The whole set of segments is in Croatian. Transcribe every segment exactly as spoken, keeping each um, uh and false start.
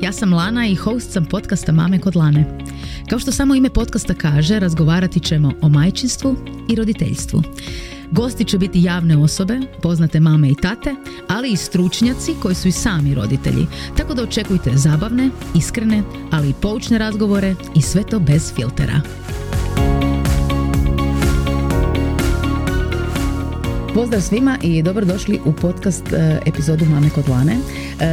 Ja sam Lana i host sam podcasta Mame kod Lane. Kao što samo ime podcasta kaže, razgovarati ćemo o majčinstvu i roditeljstvu. Gosti će biti javne osobe, poznate mame i tate, ali i stručnjaci koji su i sami roditelji. Tako da očekujte zabavne, iskrene, ali i poučne razgovore i sve to bez filtera. Pozdrav svima i dobrodošli u podcast epizodu Mame kod Lane.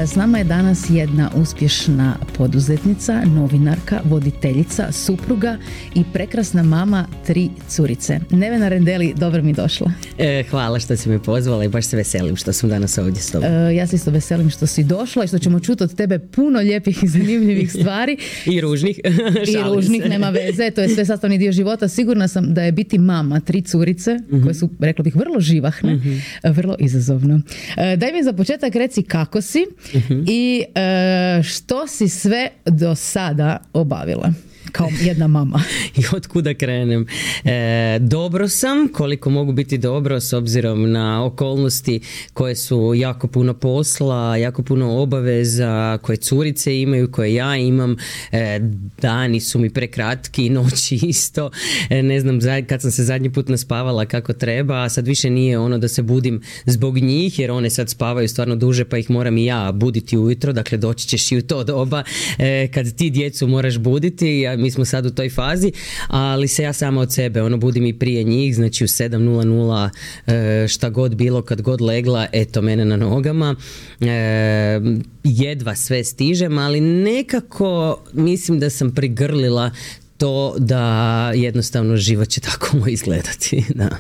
S nama je danas jedna uspješna poduzetnica, novinarka, voditeljica, supruga i prekrasna mama tri curice. Nevena Rendeli, dobro mi došla. E, hvala što si me pozvala i baš se veselim što sam danas ovdje s tobom. E, ja se isto veselim što si došla i što ćemo čuti od tebe puno lijepih i zanimljivih stvari. I ružnih. I ružnih, se. Nema veze, to je sve sastavni dio života. Sigurna sam da je biti mama tri curice, mm-hmm. koje su, rekla bih, vrlo živahne, mm-hmm. vrlo izazovno. E, daj mi za početak reci kako si mm-hmm. i e, što si sve do sada obavila kao jedna mama. I od kuda krenem? E, dobro sam, koliko mogu biti dobro s obzirom na okolnosti koje su jako puno posla, jako puno obaveza, koje curice imaju, koje ja imam. E, dani su mi prekratki, noći isto. E, ne znam, kad sam se zadnji put naspavala kako treba, a sad više nije ono da se budim zbog njih, jer one sad spavaju stvarno duže, pa ih moram i ja buditi ujutro. Dakle, doći ćeš i u to doba e, kad ti djecu moraš buditi. Ja, mi smo sad u toj fazi, ali se ja sama od sebe ono budim i prije njih, znači u sedam nula nula e, šta god bilo, kad god legla, eto mene na nogama. E, jedva sve stižem, ali nekako mislim da sam prigrlila to da jednostavno život će tako moj izgledati. Da.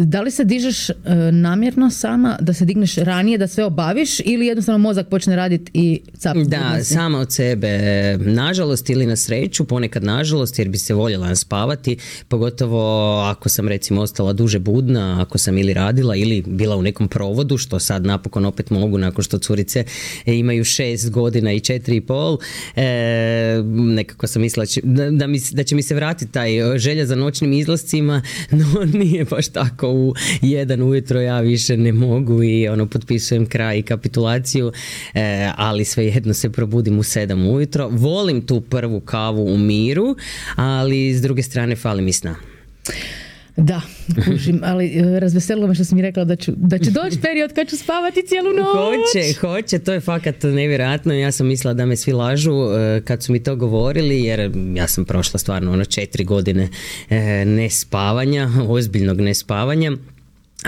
Da li se dižeš namjerno sama, da se digneš ranije, da sve obaviš, ili jednostavno mozak počne raditi i cap? Da, sama od sebe. Nažalost ili na sreću, ponekad nažalost, jer bi se voljela spavati, pogotovo ako sam recimo ostala duže budna, ako sam ili radila ili bila u nekom provodu, što sad napokon opet mogu nakon što curice imaju šest godina i četiri i pol. E, nekako sam mislila da Da, mi, da će mi se vratiti taj želja za noćnim izlascima, no nije baš tako. U jedan ujutro ja više ne mogu i ono potpisujem kraj i kapitulaciju, e, ali svejedno se probudim u sedam ujutro. Volim tu prvu kavu u miru, ali s druge strane fali mi sna. Da, kužim, ali razveselilo me što si mi rekla da, ću, da će doći period kad ću spavati cijelu noć. Hoće, hoće, to je fakat nevjerojatno. Ja sam mislila da me svi lažu kad su mi to govorili, jer ja sam prošla stvarno ono četiri godine nespavanja, ozbiljnog nespavanja.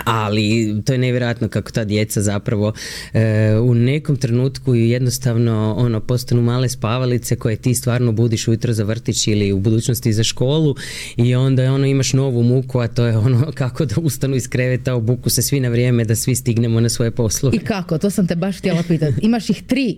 Ali to je nevjerojatno kako ta djeca zapravo e, u nekom trenutku jednostavno ono postanu male spavalice koje ti stvarno budiš ujutro za vrtić ili u budućnosti za školu, i onda ono imaš novu muku, a to je ono kako da ustanu iz kreveta, obuku se svi na vrijeme da svi stignemo na svoje poslove. I kako? To sam te baš htjela pitati. Imaš ih tri.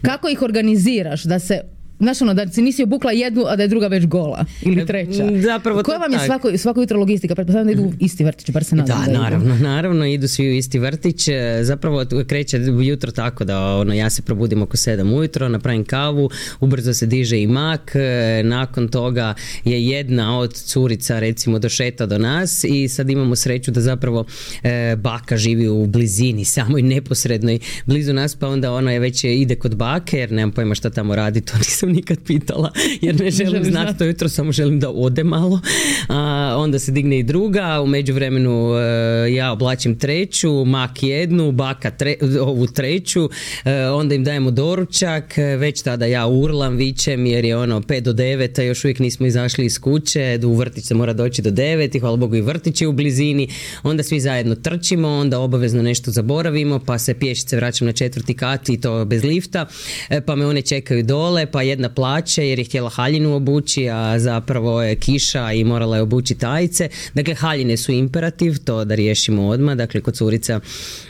Kako ih organiziraš da se, znaš ono, da si nisi obukla jednu, a da je druga već gola ili treća? Zapravo koja vam je svako, svako jutro logistika? Pretpostavljam da idu u isti vrtić, bar se nadam da, da idu. naravno, naravno, idu svi u isti vrtić. Zapravo kreće jutro tako da ono, ja se probudim oko sedam ujutro, napravim kavu, ubrzo se diže i mak, nakon toga je jedna od curica recimo došeta do nas i sad imamo sreću da zapravo e, baka živi u blizini, samoj neposrednoj blizu nas, pa onda ona je već ide kod bake, jer nemam pojma šta tamo radi, to nisam nikad pitala, jer ne želim znati to jutro, samo želim da ode malo. A, onda se digne i druga, u međuvremenu e, ja oblačim treću, mak jednu, baka tre, ovu treću, e, onda im dajemo doručak, već tada ja urlam, vičem, jer je ono pet do devet, a još uvijek nismo izašli iz kuće, u vrtić se mora doći do devet i hvala Bogu i vrtić je u blizini, onda svi zajedno trčimo, onda obavezno nešto zaboravimo, pa se pješice vraćam na četvrti kat i to bez lifta, e, pa me one čekaju dole, pa jedna plaće jer je htjela haljinu obući, a zapravo je kiša i morala je obući tajice. Dakle, haljine su imperativ, to da riješimo odmah. Dakle, kod curica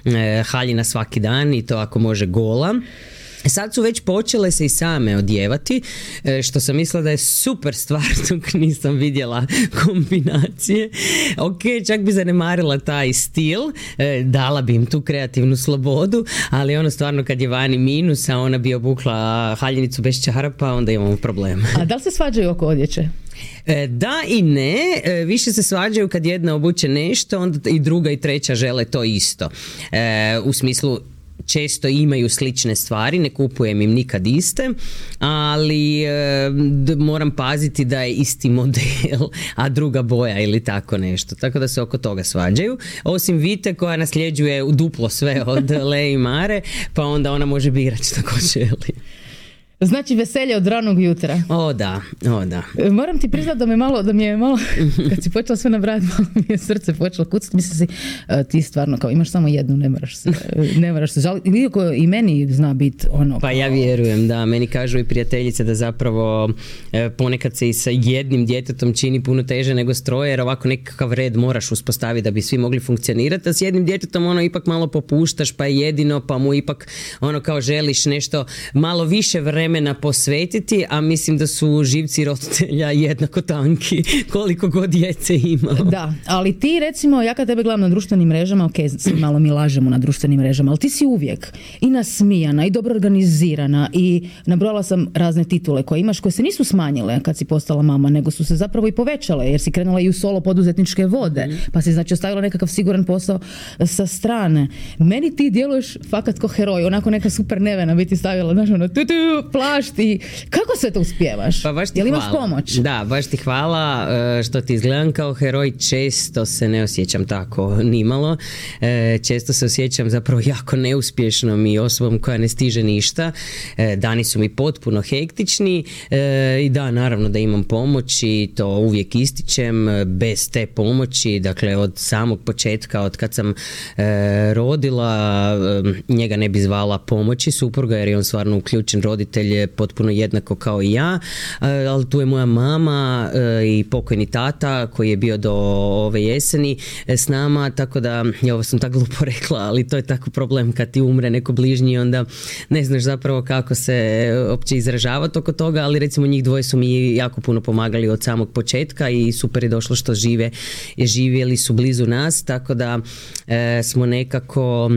e, haljina svaki dan i to ako može gola. Sad su već počele se i same odjevati, što sam mislila da je super stvar, dok nisam vidjela kombinacije. Ok, čak bi zanemarila taj stil, dala bi im tu kreativnu slobodu, ali ono stvarno kad je vani minus, a ona bi obukla haljinicu bez čarapa, onda imamo problem. A da li se svađaju oko odjeće? Da i ne, više se svađaju kad jedna obuče nešto, onda i druga i treća žele to isto. U smislu, često imaju slične stvari, ne kupujem im nikad iste, ali e, d- moram paziti da je isti model, a druga boja ili tako nešto. Tako da se oko toga svađaju. Osim Vite koja nasljeđuje duplo sve od Le i Mare, pa onda ona može birati što ko želi. Znači veselje od ranog jutra. O da, o da. Moram ti priznati da me malo, da mi je malo, kad si počela sve nabrati, malo mi je srce počelo kucati. Mislim si, ti stvarno kao imaš samo jednu, ne moraš se, ne moraš se žaliti. Iako i meni zna biti ono. Pa ja vjerujem, da. Meni kažu i prijateljice da zapravo ponekad se i sa jednim djetetom čini puno teže nego s troje, jer ovako nekakav red moraš uspostaviti da bi svi mogli funkcionirati, a s jednim djetetom ono ipak malo popuštaš, pa je jedino, pa mu ipak ono kao želiš nešto malo više vremena vremena posvetiti, a mislim da su živci roditelja jednako tanki koliko god djece ima. Da, ali ti recimo, ja kad tebe gledam na društvenim mrežama, ok, svi malo mi lažemo na društvenim mrežama, ali ti si uvijek i nasmijana i dobro organizirana i nabrojala sam razne titule koje imaš, koje se nisu smanjile kad si postala mama, nego su se zapravo i povećale, jer si krenula i u solo poduzetničke vode, mm. pa si znači ostavila nekakav siguran posao sa strane. Meni ti djeluješ fakat ko heroj, onako neka super nevena biti stavila, znaš, ono, tu, tu, plašt i kako sve to uspijevaš? Pa baš ti Jel imaš hvala. pomoć? Da, baš ti hvala što ti izgledam kao heroj, često se ne osjećam tako nimalo, često se osjećam zapravo jako neuspješnom i osobom koja ne stiže ništa, dani su mi potpuno hektični i da, naravno da imam pomoć i to uvijek ističem, bez te pomoći, dakle od samog početka, od kad sam rodila, njega ne bi zvala pomoći supruga jer je on stvarno uključen roditelj potpuno jednako kao i ja, ali tu je moja mama i pokojni tata koji je bio do ove jeseni s nama, tako da, ja ovo sam tako glupo rekla, ali to je tako problem kad ti umre neko bližnji, onda ne znaš zapravo kako se uopće izražavati oko toga, ali recimo njih dvoje su mi jako puno pomagali od samog početka i super je došlo što žive, živjeli su blizu nas, tako da e, smo nekako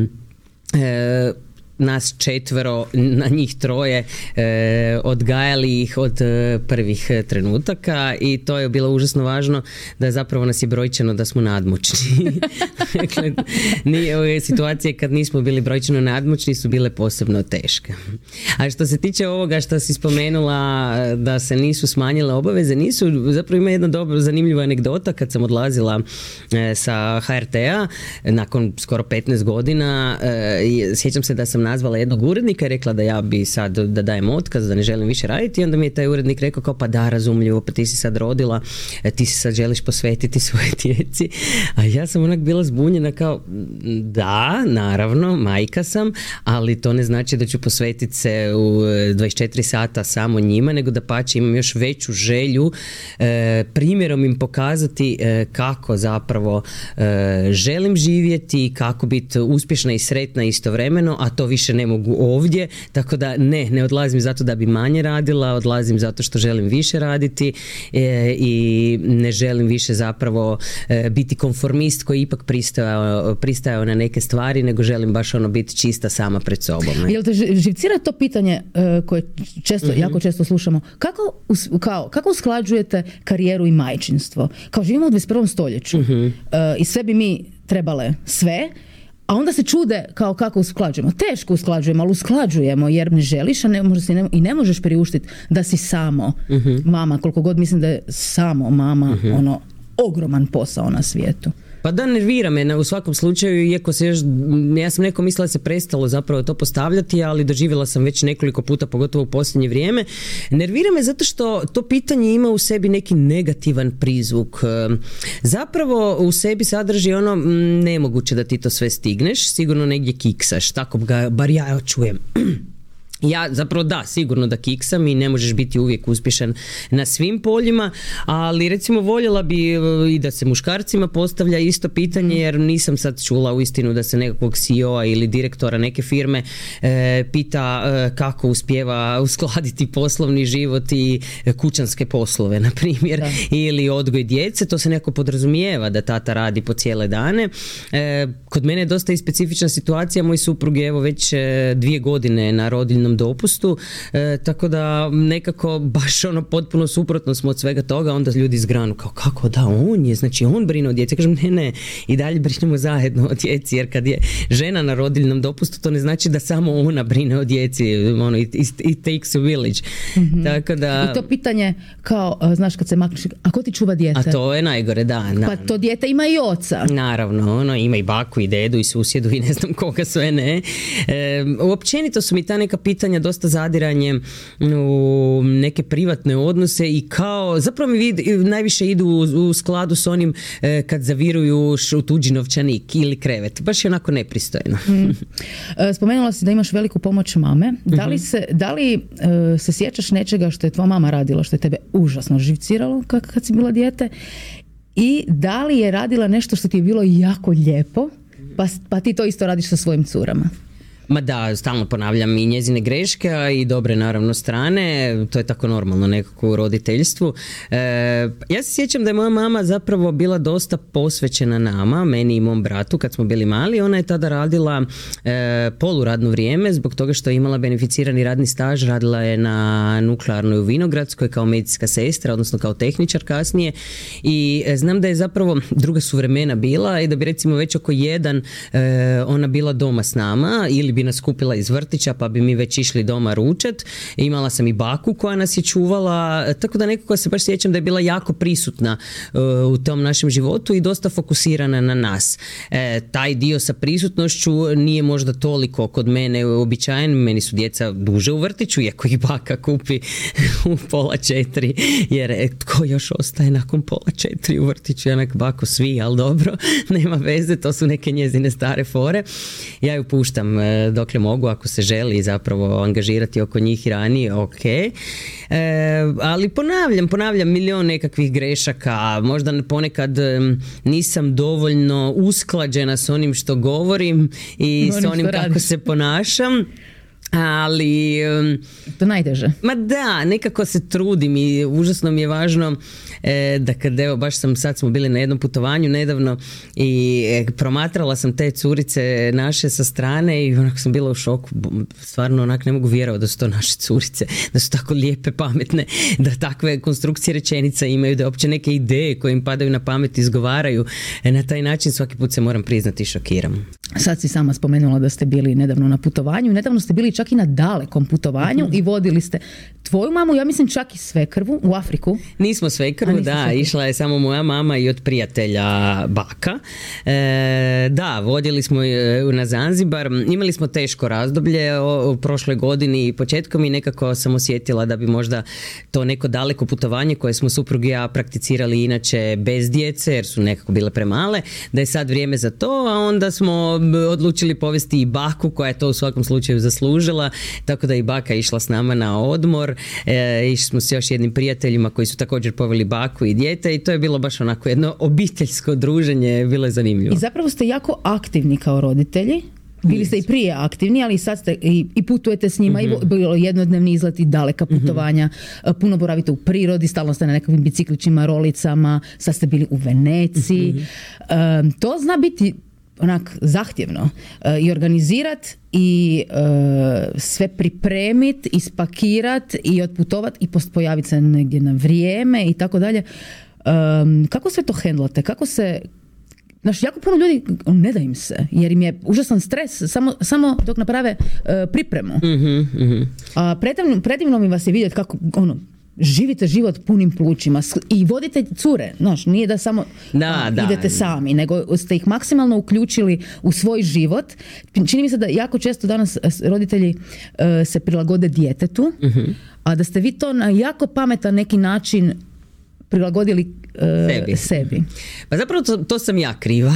e, nas četvero, na njih troje, e, odgajali ih od e, prvih trenutaka i to je bilo užasno važno da zapravo nas je brojčano da smo nadmoćni. Dakle, nije, situacije kad nismo bili brojčano nadmoćni su bile posebno teške. A što se tiče ovoga što si spomenula da se nisu smanjile obaveze, nisu, zapravo ima jedna dobro zanimljiva anegdota kad sam odlazila e, sa ha er te-a nakon skoro petnaest godina, e, sjećam se da sam nazvala jednog urednika i rekla da ja bi sad da dajem otkaz, da ne želim više raditi i onda mi je taj urednik rekao kao pa da, razumljivo, pa ti si sad rodila, ti si sad želiš posvetiti svoje djeci, a ja sam onak bila zbunjena kao da, naravno, majka sam, ali to ne znači da ću posvetiti se u dvadeset četiri sata samo njima, nego da pače imam još veću želju e, primjerom im pokazati e, kako zapravo e, želim živjeti, kako biti uspješna i sretna istovremeno, a to više ne mogu ovdje, tako da ne, ne odlazim zato da bi manje radila, odlazim zato što želim više raditi e, i ne želim više zapravo e, biti konformist koji ipak pristajao, pristajao na neke stvari, nego želim baš ono biti čista sama pred sobom. Ne? Jel te živcira to pitanje uh, koje često, mm-hmm. jako često slušamo, kako, us, kao, kako usklađujete karijeru i majčinstvo? Kao živimo u dvadeset prvom stoljeću mm-hmm. uh, i sve bi mi trebale sve, a onda se čude kao kako usklađujemo. Teško usklađujemo, ali usklađujemo jer ne želiš, a ne možeš, ne, i ne možeš priuštiti da si samo uh-huh. mama, koliko god mislim da je samo mama uh-huh. ono ogroman posao na svijetu. Pa da, nervira me u svakom slučaju, iako se još, ja sam neko mislila da se prestalo zapravo to postavljati, ali doživjela sam već nekoliko puta, pogotovo u posljednje vrijeme. Nervira me zato što to pitanje ima u sebi neki negativan prizvuk. Zapravo u sebi sadrži ono, nemoguće da ti to sve stigneš, sigurno negdje kiksaš, tako ga bar ja čujem. Ja zapravo da, sigurno da kiksam i ne možeš biti uvijek uspješan na svim poljima, ali recimo voljela bi i da se muškarcima postavlja isto pitanje, jer nisam sad čula uistinu da se nekakvog C E O-a ili direktora neke firme e, pita e, kako uspijeva uskladiti poslovni život i kućanske poslove, na primjer, da. Ili odgoj djece, to se neko podrazumijeva da tata radi po cijele dane. E, kod mene je dosta i specifična situacija, moj suprug je evo već e, dvije godine na rodiljnom rodiljnom dopustu, e, tako da nekako baš ono potpuno suprotno smo od svega toga, onda ljudi zgranu kao kako da on je, znači on brine o djeci. Kažem ne, ne, i dalje brinemo zajedno o djeci, jer kad je žena na rodiljnom dopustu, to ne znači da samo ona brine o djeci, ono, it, it takes a village. Mm-hmm. Tako da... I to pitanje kao, znaš, kad se makneš, a ko ti čuva dijete? A to je najgore, da. da. Pa to dijete ima i oca. Naravno, ono, ima i baku i dedu i susjedu i ne znam koga sve ne. E, uopćenito su mi ta neka pitanja dosta zadiranje u neke privatne odnose i kao, zapravo mi vid, najviše idu u, u skladu s onim e, kad zaviruju u tuđi novčanik ili krevet. Baš je onako nepristojno. Mm. Spomenula si da imaš veliku pomoć mame. Da li se, da li, e, se sjećaš nečega što je tvoja mama radila, što je tebe užasno živciralo kad, kad si bila dijete? I da li je radila nešto što ti je bilo jako lijepo, pa, pa ti to isto radiš sa svojim curama? Ma da, stalno ponavljam i njezine greške, a i dobre naravno strane, to je tako normalno nekako u roditeljstvu. E, ja se sjećam da je moja mama zapravo bila dosta posvećena nama, meni i mom bratu kad smo bili mali. Ona je tada radila e, poluradno vrijeme zbog toga što je imala beneficirani radni staž, radila je na nuklearnoj u Vinogradskoj kao medicinska sestra, odnosno kao tehničar kasnije, i e, znam da je zapravo druga su vremena bila i da bi recimo već oko jedan e, ona bila doma s nama ili bi nas kupila iz vrtića pa bi mi već išli doma ručat. Imala sam i baku koja nas je čuvala, tako da nekako se baš sjećam da je bila jako prisutna uh, u tom našem životu i dosta fokusirana na nas. E, taj dio sa prisutnošću nije možda toliko kod mene uobičajen, meni su djeca duže u vrtiću, iako ih baka kupi u pola četiri, jer e, tko još ostaje nakon pola četiri u vrtiću? Janak bako svi, ali dobro, nema veze, to su neke njezine stare fore. Ja ju puštam e, dokle mogu, ako se želi zapravo angažirati oko njih i ranije, ok. E, ali ponavljam, ponavljam milion nekakvih grešaka, možda ponekad nisam dovoljno usklađena s onim što govorim i s onim kako radiš. Se ponašam. Ali to najteže. Ma da, nekako se trudim i užasno mi je važno e, da kad evo baš sam sad smo bili na jednom putovanju nedavno i e, promatrala sam te curice naše sa strane i onako sam bila u šoku, stvarno onak ne mogu vjerovati da su to naše curice, da su tako lijepe, pametne, da takve konstrukcije rečenica imaju, da uopće neke ideje koje im padaju na pamet izgovaraju. E, na taj način svaki put se moram priznati šokiram. Sad si sama spomenula da ste bili nedavno na putovanju, nedavno ste bili čak i na dalekom putovanju mm-hmm. i vodili ste tvoju mamu, ja mislim čak i svekrvu u Afriku. Nismo svekrvu, da, svekrvu. Išla je samo moja mama i od prijatelja baka. E, da, vodili smo na Zanzibar, imali smo teško razdoblje u prošloj godini i početkom i nekako sam osjetila da bi možda to neko daleko putovanje koje smo suprug i ja prakticirali inače bez djece, jer su nekako bile premale, da je sad vrijeme za to, a onda smo odlučili povesti i baku koja je to u svakom slučaju zaslužila, tako da i baka išla s nama na odmor, e, išli smo s još jednim prijateljima koji su također poveli baku i dijete i to je bilo baš onako jedno obiteljsko druženje, bilo je zanimljivo. I zapravo ste jako aktivni kao roditelji. Bili ste i prije aktivni, ali sad ste i, i putujete s njima, mm-hmm. i bilo jednodnevni izleti, daleka putovanja, mm-hmm. puno boravite u prirodi, stalno ste na nekakvim biciklićima, rolicama, sad ste bili u Veneciji. Mm-hmm. Um, to zna biti onak zahtjevno uh, i organizirat i uh, sve pripremit, ispakirat i otputovat i pojaviti se negdje na vrijeme i tako dalje. Um, kako sve to hendlate? Kako se... Znaš, jako puno ljudi ne da im se, jer im je užasan stres samo, samo dok naprave uh, pripremu. Mm-hmm, mm-hmm. A predivno, predivno mi vas je vidjeti kako ono, živite život punim plućima i vodite cure, znaš, nije da samo da, a, da. idete sami, nego ste ih maksimalno uključili u svoj život. Čini mi se da jako često danas roditelji uh, se prilagode djetetu, mm-hmm. a da ste vi to na jako pametan neki način prilagodili uh, sebi. sebi. Pa zapravo to, to sam ja kriva.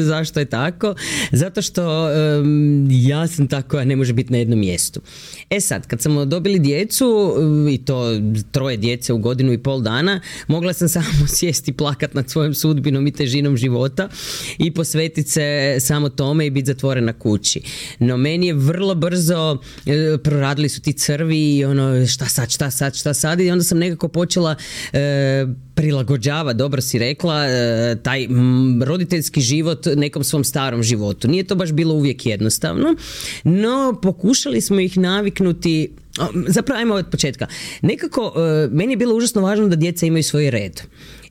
Zašto je tako? Zato što um, ja sam ta koja ne može biti na jednom mjestu. E sad, kad smo dobili djecu i to troje djece u godinu i pol dana, mogla sam samo sjesti i plakat nad svojom sudbinom i težinom života i posvetiti se samo tome i biti zatvorena kući. No meni je vrlo brzo e, proradili su ti crvi i ono šta sad, šta sad, šta sad i onda sam nekako počela e, prilagođava, dobro si rekla, e, taj m, roditeljski život nekom svom starom životu. Nije to baš bilo uvijek jednostavno, no pokušali smo ih naviknuti. Zapravo, ajmo od početka. Nekako, e, meni je bilo užasno važno da djeca imaju svoj red.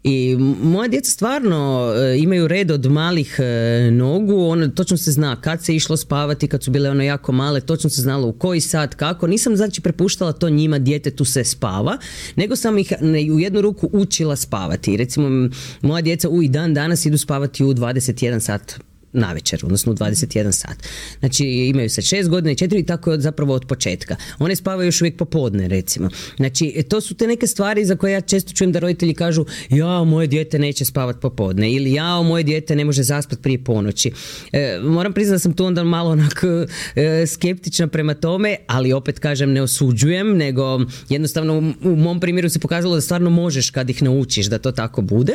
I moja djeca stvarno e, imaju red od malih e, nogu, ono, točno se zna kad se išlo spavati, kad su bile ono jako male, točno se znalo u koji sat, kako. Nisam znači prepuštala to njima, djetetu se spava, nego sam ih u jednu ruku učila spavati. Recimo, moja djeca u i dan danas idu spavati u dvadeset jedan sat na večer, odnosno u dvadeset jedan sat. Znači imaju se šest godina i četiri i tako je zapravo od početka. One spavaju još uvijek popodne, recimo. Znači to su te neke stvari za koje ja često čujem da roditelji kažu jao, moje dijete neće spavati popodne ili jao, moje dijete ne može zaspati prije ponoći. E, moram priznati da sam tu onda malo onako e, skeptična prema tome, ali opet kažem, ne osuđujem, nego jednostavno u, u mom primjeru se pokazalo da stvarno možeš kad ih naučiš da to tako bude.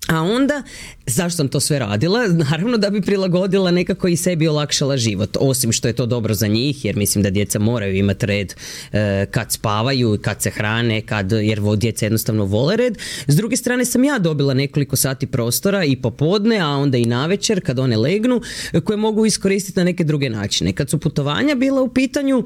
A onda, zašto sam to sve radila? Naravno da bi prilagodila nekako i sebi olakšala život, osim što je to dobro za njih, jer mislim da djeca moraju imati red e, kad spavaju, kad se hrane, kad, jer djeca jednostavno vole red. S druge strane sam ja dobila nekoliko sati prostora i popodne, a onda i navečer kad one legnu, koje mogu iskoristiti na neke druge načine. Kad su putovanja bila u pitanju,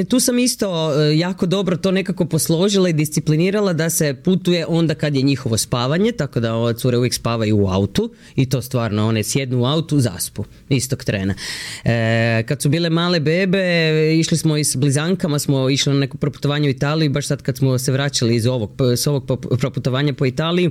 tu sam isto e, jako dobro to nekako posložila i disciplinirala da se putuje onda kad je njihovo spavanje, tako da ova cure uvijek spavaju u autu i to stvarno, one sjednu u autu, zaspu istog trena. E, kad su bile male bebe, išli smo i s blizankama, smo išli na neko proputovanje u Italiju, baš sad kad smo se vraćali iz ovog, s ovog proputovanja po Italiji,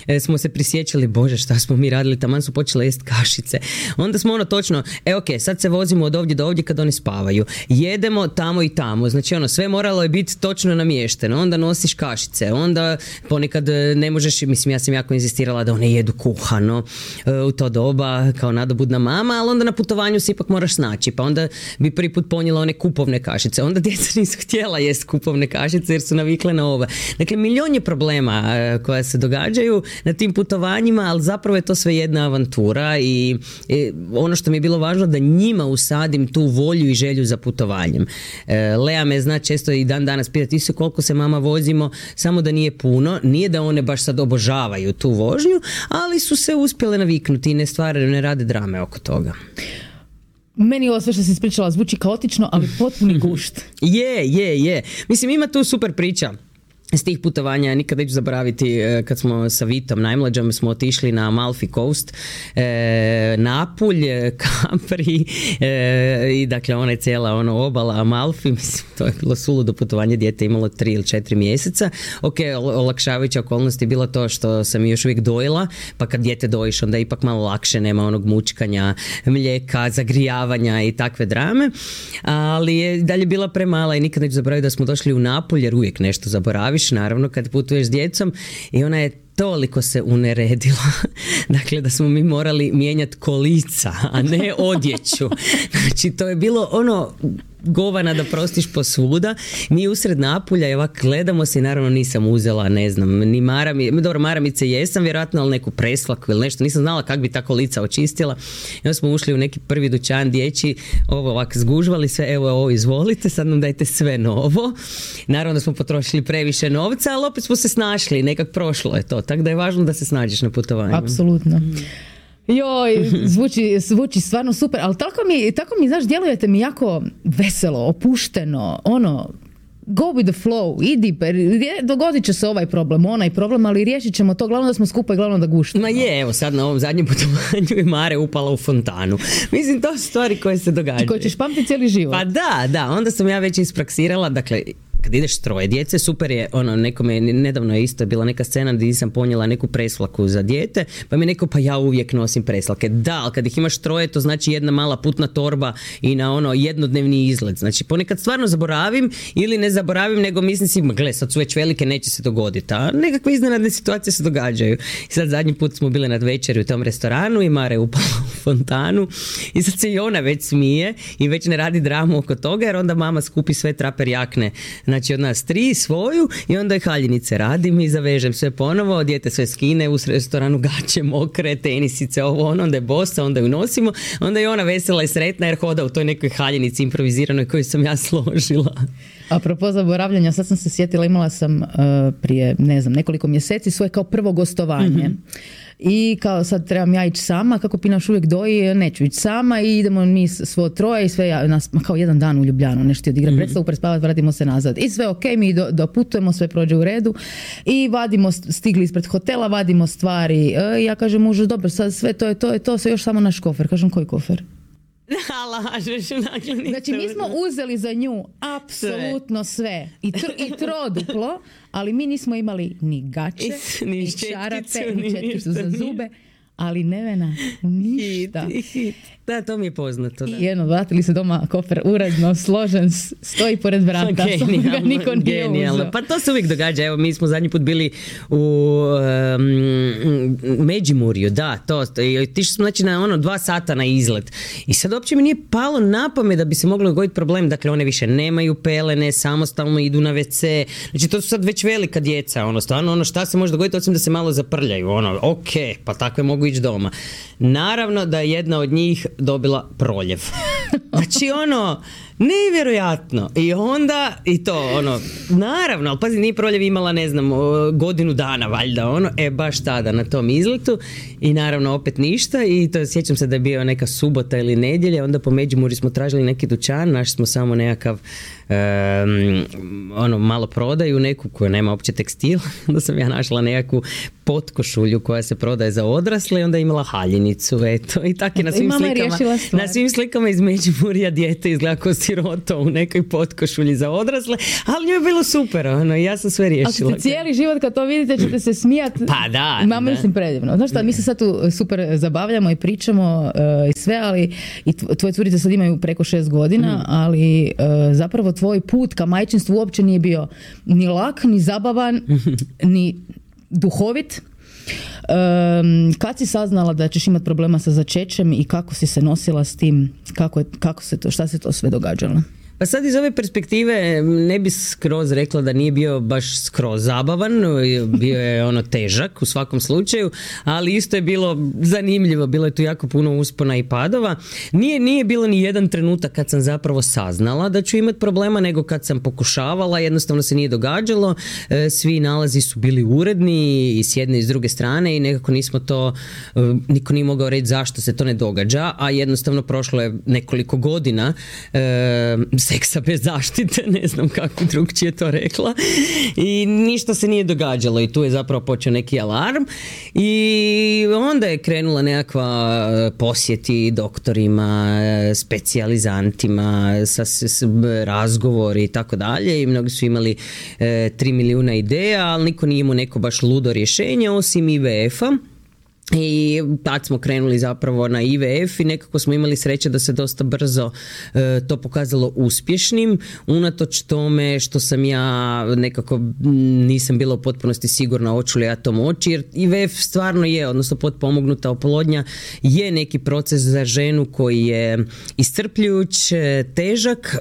e, smo se prisjećali, bože šta smo mi radili, taman su počele jest kašice. Onda smo ono točno, e ok, sad se vozimo od ovdje do ovdje kad oni spavaju. Jedemo tamo i tamo, znači ono, sve moralo je biti točno namješteno, onda nosiš kašice, onda ponekad ne možeš, mislim ja sam jako insistirala da one jedu kuhano u to doba kao nadobudna mama, ali onda na putovanju se ipak moraš snaći, pa onda bi prvi put ponijela one kupovne kašice, onda djeca nisu htjela jest kupovne kašice jer su navikle na ove. Dakle, milion je problema koja se događaju na tim putovanjima, ali zapravo je to sve jedna avantura i, i ono što mi je bilo važno da njima usadim tu volju i želju za putovanjem. E, Lea me zna često i dan danas pitati isto koliko se mama vozimo, samo da nije puno, nije da one baš sad obožavaju tu vožnju, ali su se uspjele naviknuti i ne stvaraju, ne rade drame oko toga. Meni ovo sve što si ispričala zvuči kaotično, ali potpuni gušt. Je, je, je. Mislim, ima tu super priča s tih putovanja. Nikad neću zaboraviti kad smo sa Vitom najmlađom smo otišli na Amalfi Coast, e, Napulj, Capri e, i dakle ona je cijela ono obala Amalfi, mislim to je bilo suludo putovanje, dijete imalo tri ili četiri mjeseca. Ok, olakšavajuća okolnost je bila to što sam još uvijek dojela, pa kad dijete dojiš onda je ipak malo lakše, nema onog mučkanja, mlijeka, zagrijavanja i takve drame, ali je dalje bila premala i nikad neću zaboraviti da smo došli u Napulj jer uvijek nešto zaboraviš naravno kad putuješ s djecom i ona je toliko se uneredila, dakle da smo mi morali mijenjati kolica, a ne odjeću. Znači to je bilo ono govana da prostiš posvuda. Mi usred Napulja i ovak gledamo se i naravno nisam uzela, ne znam, ni marami, dobro maramice jesam vjerojatno, ali neku preslaku ili nešto, nisam znala kako bi ta kolica očistila. I onda smo ušli u neki prvi dućan dječji, ovo ovak zgužvali sve, evo ovo izvolite, sad nam dajte sve novo. Naravno da smo potrošili previše novca, ali opet smo se snašli, nekak prošlo je to, tako da je važno da se snađeš na putovanju. Apsolutno. Mm. Joj, zvuči, zvuči stvarno super, ali tako mi, tako mi, znaš, djelujete mi jako veselo, opušteno, ono, go with the flow, idi, dogodit će se ovaj problem, onaj problem, ali riješit ćemo to, glavno da smo skupa i glavno da guštimo. Ma je, evo sad na ovom zadnjem putovanju je Mare upala u fontanu. Mislim, to su stvari koje se događaju. I koje ćeš pamtiti cijeli život. Pa da, da, onda sam ja već ispraksirala, dakle, kad ideš troje djece, super je, ono, nekome, nedavno je isto bila neka scena gdje nisam ponijela neku preslaku za dijete, pa mi neko, pa ja uvijek nosim preslake. Da, ali kad ih imaš troje, to znači jedna mala putna torba i na ono jednodnevni izlet. Znači, ponekad stvarno zaboravim ili ne zaboravim, nego mislim si, gle, sad su već velike, neće se dogoditi. A nekakve iznenadne situacije se događaju. I sad zadnji put smo bile na večeri u tom restoranu i Mare upala u fontanu i sad se i ona već smije i već ne radi dramu oko toga, jer onda mama skupi sve traper jakne znači od nas tri svoju i onda je haljinice radim i zavežem sve ponovo, dijete sve skine u restoranu, gaće mokre, tenisice, ovo ono, onda je bosa, onda ju nosimo, onda je ona vesela i sretna jer hoda u toj nekoj haljinici improviziranoj koju sam ja složila. Apropo zaboravljanja, sad sam se sjetila, imala sam uh, prije, ne znam, nekoliko mjeseci svoje kao prvo gostovanje. Mm-hmm. I kao sad trebam ja ići sama, kako Pinaš uvijek doji, neću ići sama i idemo mi svo troje i sve, ja, nas, kao jedan dan u Ljubljanu, nešto ti odigra mm-hmm. predstavu, prespavati, vratimo se nazad. I sve ok, mi do, doputujemo, sve prođe u redu i vadimo, stigli ispred hotela, vadimo stvari. E, ja kažem mužu, dobro, sad sve to je to, je to, sve još samo naš kofer. Kažem, koji kofer? Lažeš, znači mi smo uzeli za nju apsolutno sve, sve. I, tr- i troduplo, ali mi nismo imali ni gače, I, ni, ni čarape, ni četkicu za zube, ali Nevena ništa. Hit, hit. Da, to mi je poznato. Da. I jedno, vratili se doma, kofer uredno, složen, stoji pored vrata, genijalno, ga niko nije uzeo. Pa to se uvijek događa, evo mi smo zadnji put bili u um, Međimurju, da, to, tišli smo znači na ono dva sata na izlet i sad uopće mi nije palo na pamet da bi se moglo dogoditi problem, dakle one više nemaju pelene, samostalno idu na ve ce, znači to su sad već velika djeca, ono, stvarno ono šta se može dogoditi osim da se malo zaprljaju, ono, ok, pa takve mogu ići doma. Naravno da je jedna od njih dobila proljev. Znači ono, nevjerojatno. I onda, i to ono, naravno, ali pazi, nije proljev imala, ne znam, godinu dana valjda, ono, e baš tada na tom izletu i naravno opet ništa i to sjećam se da je bio neka subota ili nedjelja, onda po Međimurju smo tražili neki dućan, našli smo samo nekakav Um, ono malo prodaju neku koja nema uopće tekstil, onda sam ja našla nekakvu potkošulju koja se prodaje za odrasle i onda imala haljinicu, eto, i tako je na svim slikama na svim slikama iz Međimurja dijete izgleda kao siroto u nekoj potkošulji za odrasle, ali njoj je bilo super, ono, ja sam sve riješila. Ali cijeli život kad to vidite ćete se smijati. Pa da. Mama, mislim, predivno. Znaš šta, mi se sad tu super zabavljamo i pričamo uh, i sve, ali i tvoje curice sad imaju preko šest godina, mm. ali uh, zapravo tvoj put ka majčinstvu uopće nije bio ni lak, ni zabavan, ni duhovit. Um, kad si saznala da ćeš imati problema sa začećem i kako si se nosila s tim, kako, je, kako se to, šta se to sve događalo? Pa sad iz ove perspektive ne bi skroz rekla da nije bio baš skroz zabavan, bio je ono težak u svakom slučaju, ali isto je bilo zanimljivo, bilo je tu jako puno uspona i padova. Nije, nije bilo ni jedan trenutak kad sam zapravo saznala da ću imati problema, nego kad sam pokušavala, jednostavno se nije događalo, svi nalazi su bili uredni i s jedne i s druge strane i nekako nismo to, niko nije mogao reći zašto se to ne događa, a jednostavno prošlo je nekoliko godina seksa bez zaštite, ne znam kako drugčije to rekla, i ništa se nije događalo i tu je zapravo počeo neki alarm i onda je krenula nekakva posjeti doktorima, specijalizantima, sa, s, razgovori i tako dalje i mnogi su imali e, tri milijuna ideja, ali niko nije imao neko baš ludo rješenje osim i ve efa. I tad smo krenuli zapravo na i ve ef i nekako smo imali sreće da se dosta brzo e, to pokazalo uspješnim, unatoč tome što sam ja nekako nisam bila u potpunosti sigurna hoću li ja to moći, jer i ve ef stvarno je, odnosno potpomognuta oplodnja je neki proces za ženu koji je iscrpljujuć, težak,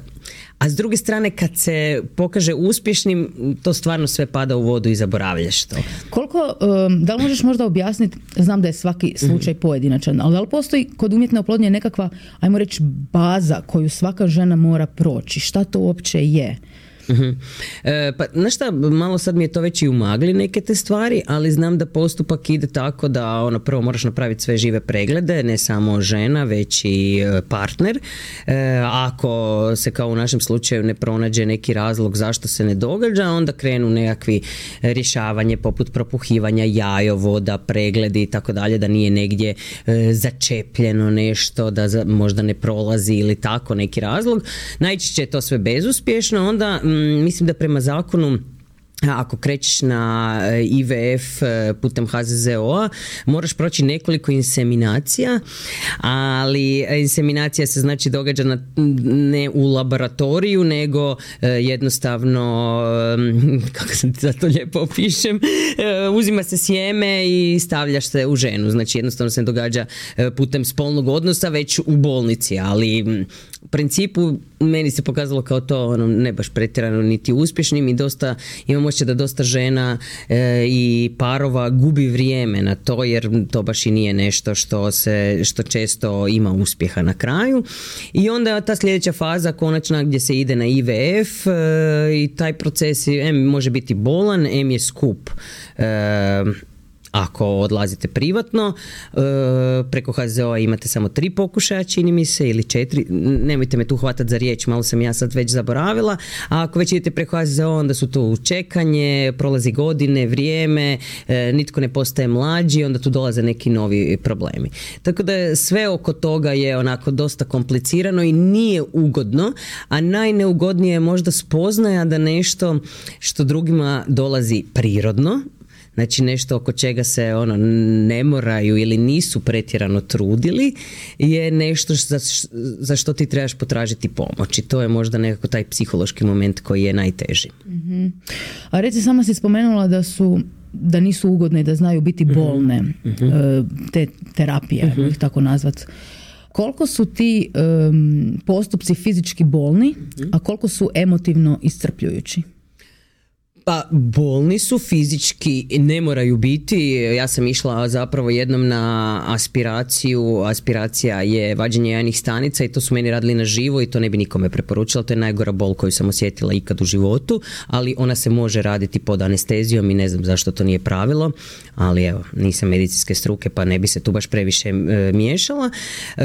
a s druge strane kad se pokaže uspješnim, to stvarno sve pada u vodu i zaboravljaš to. Koliko, um, da li možeš možda objasniti, znam da je svaki slučaj pojedinačan, ali da li postoji kod umjetne oplodnje nekakva, ajmo reći, baza koju svaka žena mora proći? Šta to uopće je? Uh-huh. E, pa znaš šta, malo sad mi je to već i umagli neke te stvari, ali znam da postupak ide tako da ono, prvo moraš napraviti sve žive preglede, ne samo žena već i partner. E, ako se kao u našem slučaju ne pronađe neki razlog zašto se ne događa, onda krenu nekakvi rješavanje poput propuhivanja jajovoda, pregledi i tako dalje, da nije negdje e, začepljeno nešto, da za, možda ne prolazi ili tako neki razlog. Najčešće je to sve bezuspješno, onda mislim da prema zakonu ako krećeš na i ve ef putem ha ze ze o-a moraš proći nekoliko inseminacija, ali inseminacija se znači događa na, ne u laboratoriju, nego jednostavno, kako sam ti za to lijepo opišem, uzima se sjeme i stavljaš se u ženu, znači jednostavno se događa putem spolnog odnosa već u bolnici, ali u principu meni se pokazalo kao to ono, ne baš pretjerano niti uspješnim i dosta, imam osjećaj da dosta žena e, i parova gubi vrijeme na to jer to baš i nije nešto što, se, što često ima uspjeha na kraju. I onda ta sljedeća faza konačna gdje se ide na I V F e, i taj proces em može biti bolan, em je skup. E, Ako odlazite privatno, preko H Z O-a imate samo tri pokušaja, čini mi se, ili četiri, nemojte me tu hvatati za riječ, malo sam ja sad već zaboravila, a ako već idete preko H Z O-a, onda su tu čekanje, prolazi godine, vrijeme, nitko ne postaje mlađi, onda tu dolaze neki novi problemi. Tako da sve oko toga je onako dosta komplicirano i nije ugodno, a najneugodnije je možda spoznaja da nešto što drugima dolazi prirodno, znači nešto oko čega se ono ne moraju ili nisu pretjerano trudili, je nešto za, za što ti trebaš potražiti pomoć i to je možda nekako taj psihološki moment koji je najteži. Mm-hmm. A reci, sama si spomenula da su da nisu ugodne i da znaju biti bolne, mm-hmm. te terapije, mm-hmm. ih tako nazvat. Koliko su ti um, postupci fizički bolni, mm-hmm. a koliko su emotivno iscrpljujući? Pa bolni su fizički, ne moraju biti. Ja sam išla zapravo jednom na aspiraciju. Aspiracija je vađenje jajnih stanica i to su meni radili na živo i to ne bi nikome preporučila. To je najgora bol koju sam osjetila ikad u životu, ali ona se može raditi pod anestezijom i ne znam zašto to nije pravilo, ali evo, nisam medicinske struke pa ne bi se tu baš previše e, miješala. E,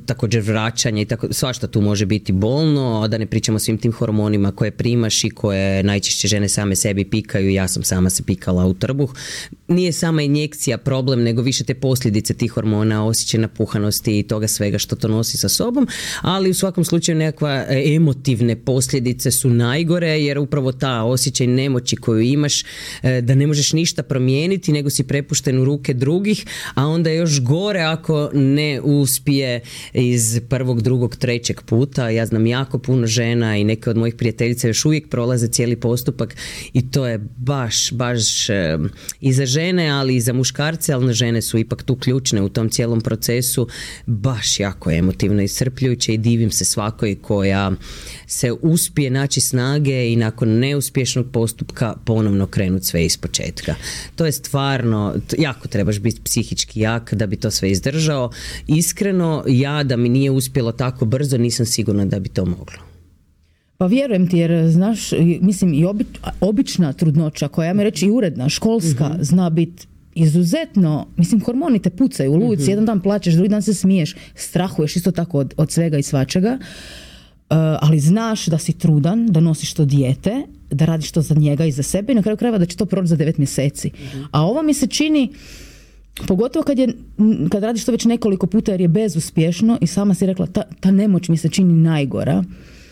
također vraćanje i tako, svašta tu može biti bolno, a da ne pričamo o svim tim hormonima koje primaš i koje najčešće žene same sebi pikaju, ja sam sama se pikala u trbuh. Nije sama injekcija problem, nego više te posljedice tih hormona, osjećaj napuhanosti i toga svega što to nosi sa sobom, ali u svakom slučaju nekakva emotivne posljedice su najgore, jer upravo ta osjećaj nemoći koju imaš, da ne možeš ništa promijeniti, nego si prepušten u ruke drugih, a onda je još gore ako ne uspije iz prvog, drugog, trećeg puta. Ja znam jako puno žena i neke od mojih prijateljica još uvijek prolaze cijeli postupak i to je baš, baš e, i za žene, ali i za muškarce, ali žene su ipak tu ključne u tom cijelom procesu, baš jako emotivno iscrpljujuće i divim se svakoj koja se uspije naći snage i nakon neuspješnog postupka ponovno krenuti sve iz početka. To je stvarno, jako trebaš biti psihički jak da bi to sve izdržao. Iskreno, ja da mi nije uspjelo tako brzo, nisam sigurna da bi to moglo. Pa vjerujem ti, jer znaš, mislim i obi, obična trudnoća koja, ja mi reći i uredna, školska, mm-hmm. zna biti izuzetno, mislim, hormoni te pucaju u luci, mm-hmm. jedan dan plačeš, drugi dan se smiješ, strahuješ isto tako od, od svega i svačega, uh, ali znaš da si trudan, da nosiš to dijete, da radiš to za njega i za sebe i na kraju krajeva da će to proći za devet mjeseci. Mm-hmm. A ovo mi se čini, pogotovo kad, je, kad radiš to već nekoliko puta jer je bezuspješno i sama si rekla, ta, ta nemoć mi se čini najgora.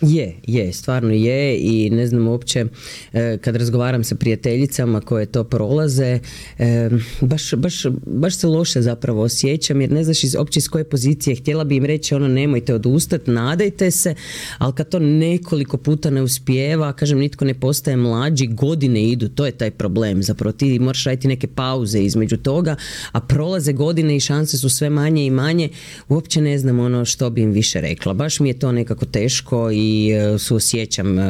Je, je, stvarno je i ne znam uopće e, kad razgovaram sa prijateljicama koje to prolaze, e, baš, baš, baš se loše zapravo osjećam jer ne znaš iz, uopće iz koje pozicije. Htjela bi im reći ono nemojte odustati, nadajte se, ali kad to nekoliko puta ne uspijeva, kažem nitko ne postaje mlađi, godine idu, to je taj problem. Zapravo ti moraš raditi neke pauze između toga, a prolaze godine i šanse su sve manje i manje, uopće ne znam ono što bi im više rekla. Baš mi je to nekako teško i i suosjećam uh,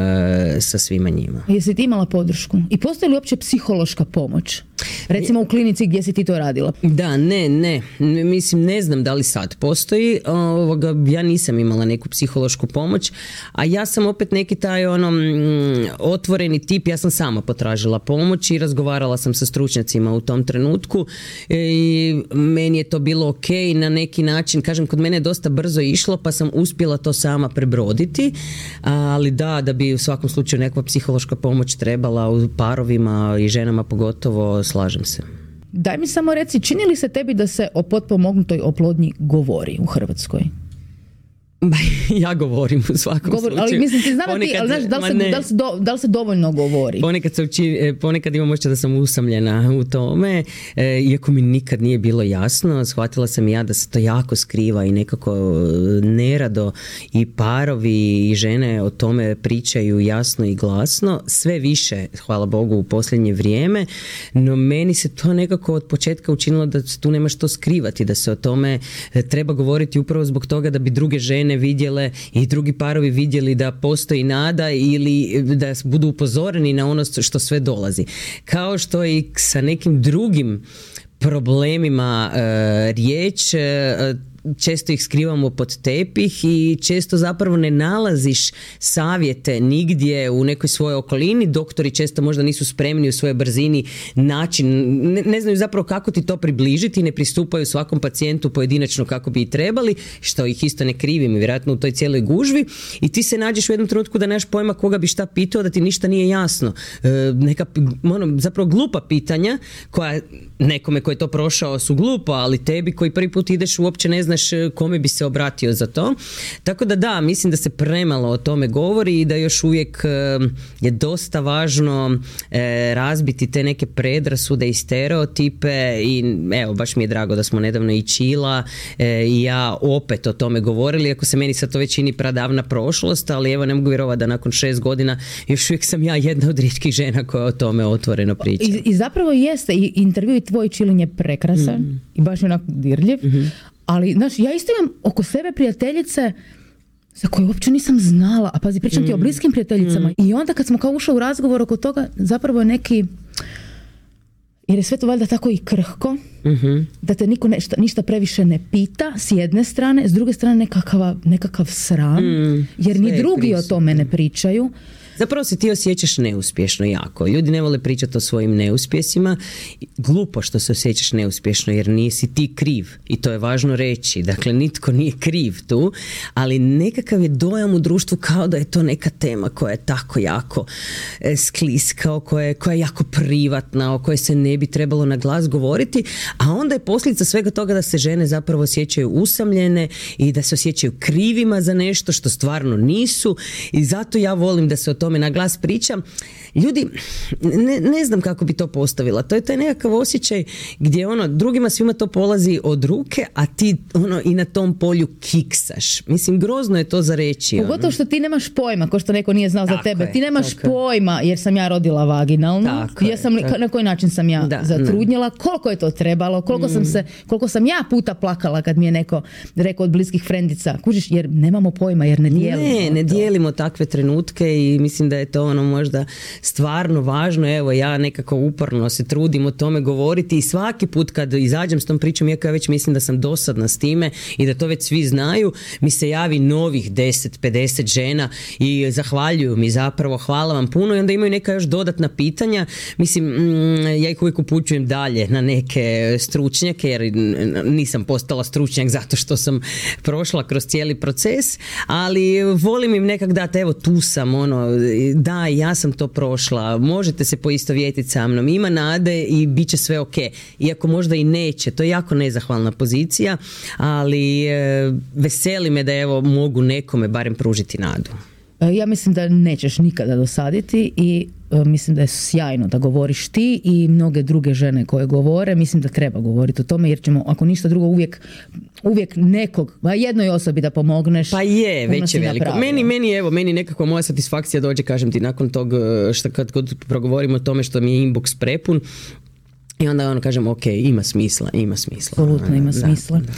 sa svima njima. Jesi ti imala podršku? I postoji li uopće psihološka pomoć? Recimo u klinici gdje si ti to radila? Da, ne, ne. Mislim, ne znam da li sad postoji. Ovoga, ja nisam imala neku psihološku pomoć, a ja sam opet neki taj ono, mm, otvoreni tip. Ja sam sama potražila pomoć i razgovarala sam sa stručnjacima u tom trenutku i meni je to bilo ok na neki način. Kažem, kod mene je dosta brzo išlo, pa sam uspjela to sama prebroditi, ali da, da bi u svakom slučaju nekakva psihološka pomoć trebala u parovima i ženama pogotovo, slažem se. Daj mi samo reci, čini li se tebi da se o potpomognutoj oplodnji govori u Hrvatskoj? Ja govorim u svakom Govor, slučaju. Ali mislim, ti znam da ti, ali znaš, da li se, da li se, do, da li se dovoljno govori? Ponekad, se uči, ponekad imam osjećaj da sam usamljena u tome, e, iako mi nikad nije bilo jasno, shvatila sam ja da se to jako skriva i nekako nerado i parovi i žene o tome pričaju jasno i glasno, sve više, hvala Bogu, u posljednje vrijeme, no meni se to nekako od početka učinilo da tu nema što skrivati, da se o tome treba govoriti upravo zbog toga da bi druge žene žene vidjele i drugi parovi vidjeli da postoji nada ili da budu upozoreni na ono što sve dolazi. Kao što i sa nekim drugim problemima e, riječ, e, često ih skrivamo pod tepih i često zapravo ne nalaziš savjete nigdje u nekoj svojoj okolini. Doktori često možda nisu spremni u svojoj brzini način, ne, ne znaju zapravo kako ti to približiti, ne pristupaju svakom pacijentu pojedinačno kako bi i trebali, što ih isto ne krivim, vjerojatno u toj cijeloj gužvi, i ti se nađeš u jednom trenutku da nemaš pojma koga bi šta pitao, da ti ništa nije jasno. E, neka ono, zapravo glupa pitanja koja nekome koji je to prošao su glupa, ali tebi koji prvi put ideš uopće ne znaš kome bi se obratio za to. Tako da da, mislim da se premalo o tome govori i da još uvijek je dosta važno razbiti te neke predrasude i stereotipe i evo, baš mi je drago da smo nedavno i Čila i ja opet o tome govorili, ako se meni sad to već čini pradavna prošlost, ali evo ne mogu vjerovati da nakon šest godina još uvijek sam ja jedna od rijetkih žena koja o tome otvoreno priča. I, i zapravo jeste, i intervju i tvoj Čilin je prekrasan mm. i baš onako dirljiv. Mm-hmm. Ali, znaš, ja isto imam oko sebe prijateljice za koje uopće nisam znala, a pazi, pričam mm. ti o bliskim prijateljicama. Mm. I onda kad smo kao ušli u razgovor oko toga, zapravo je neki, jer je sve to valjda tako i krhko, mm-hmm. da te niko nešta, ništa previše ne pita, s jedne strane, s druge strane nekakav, nekakav sram, mm. jer ni drugi prisutno. O tome ne pričaju. Zapravo se ti osjećaš neuspješno jako. Ljudi ne vole pričati o svojim neuspjesima. Glupo što se osjećaš neuspješno jer nisi ti kriv. I to je važno reći. Dakle, nitko nije kriv tu, ali nekakav je dojam u društvu kao da je to neka tema koja je tako jako skliska, koja je, koja je jako privatna, o kojoj se ne bi trebalo na glas govoriti, a onda je posljedica svega toga da se žene zapravo osjećaju usamljene i da se osjećaju krivima za nešto što stvarno nisu, i zato ja volim da se o tome na glas pričam. Ljudi, ne, ne znam kako bi to postavila. To je taj nekakav osjećaj gdje ono, drugima svima to polazi od ruke, a ti ono i na tom polju kiksaš. Mislim, grozno je to za reći. Pogotovo ono. Što ti nemaš pojma, ko što neko nije znao tako za tebe. Je, ti nemaš pojma, jer sam ja rodila vaginalno. Tako Jesam li, na koji način sam ja da, zatrudnjela, ne. Koliko je to trebalo, koliko, mm. sam se, koliko sam ja puta plakala kad mi je neko rekao od bliskih frendica. Kužiš, jer nemamo pojma, jer ne dijelimo. Ne, ne to. dijelimo takve trenutke i mislim da je to ono možda stvarno važno. Evo, ja nekako uporno se trudim o tome govoriti i svaki put kad izađem s tom pričom, iako ja već mislim da sam dosadna s time i da to već svi znaju, mi se javi novih deset pedeset žena i zahvaljuju mi zapravo, hvala vam puno, i onda imaju neka još dodatna pitanja. Mislim, ja ih uvijek upućujem dalje na neke stručnjake, jer nisam postala stručnjak zato što sam prošla kroz cijeli proces, ali volim im nekak dati, evo tu sam, ono, da, ja sam to prošla, možete se poistovjetiti sa mnom, ima nade i bit će sve ok. Iako možda i neće, to je jako nezahvalna pozicija, ali e, veseli me da evo mogu nekome barem pružiti nadu. Ja mislim da nećeš nikada dosaditi i e, mislim da je sjajno da govoriš ti i mnoge druge žene koje govore. Mislim da treba govoriti o tome, jer ćemo, ako ništa drugo, uvijek, uvijek nekog, jednoj osobi da pomogneš. Pa je, već je veliko. Meni, meni, evo, meni nekako moja satisfakcija dođe, kažem ti, nakon tog što kad, kad progovorimo o tome što mi je inbox prepun, i onda ono kažem, ok, ima smisla, ima smisla. Apsolutno ima smisla. Da, da.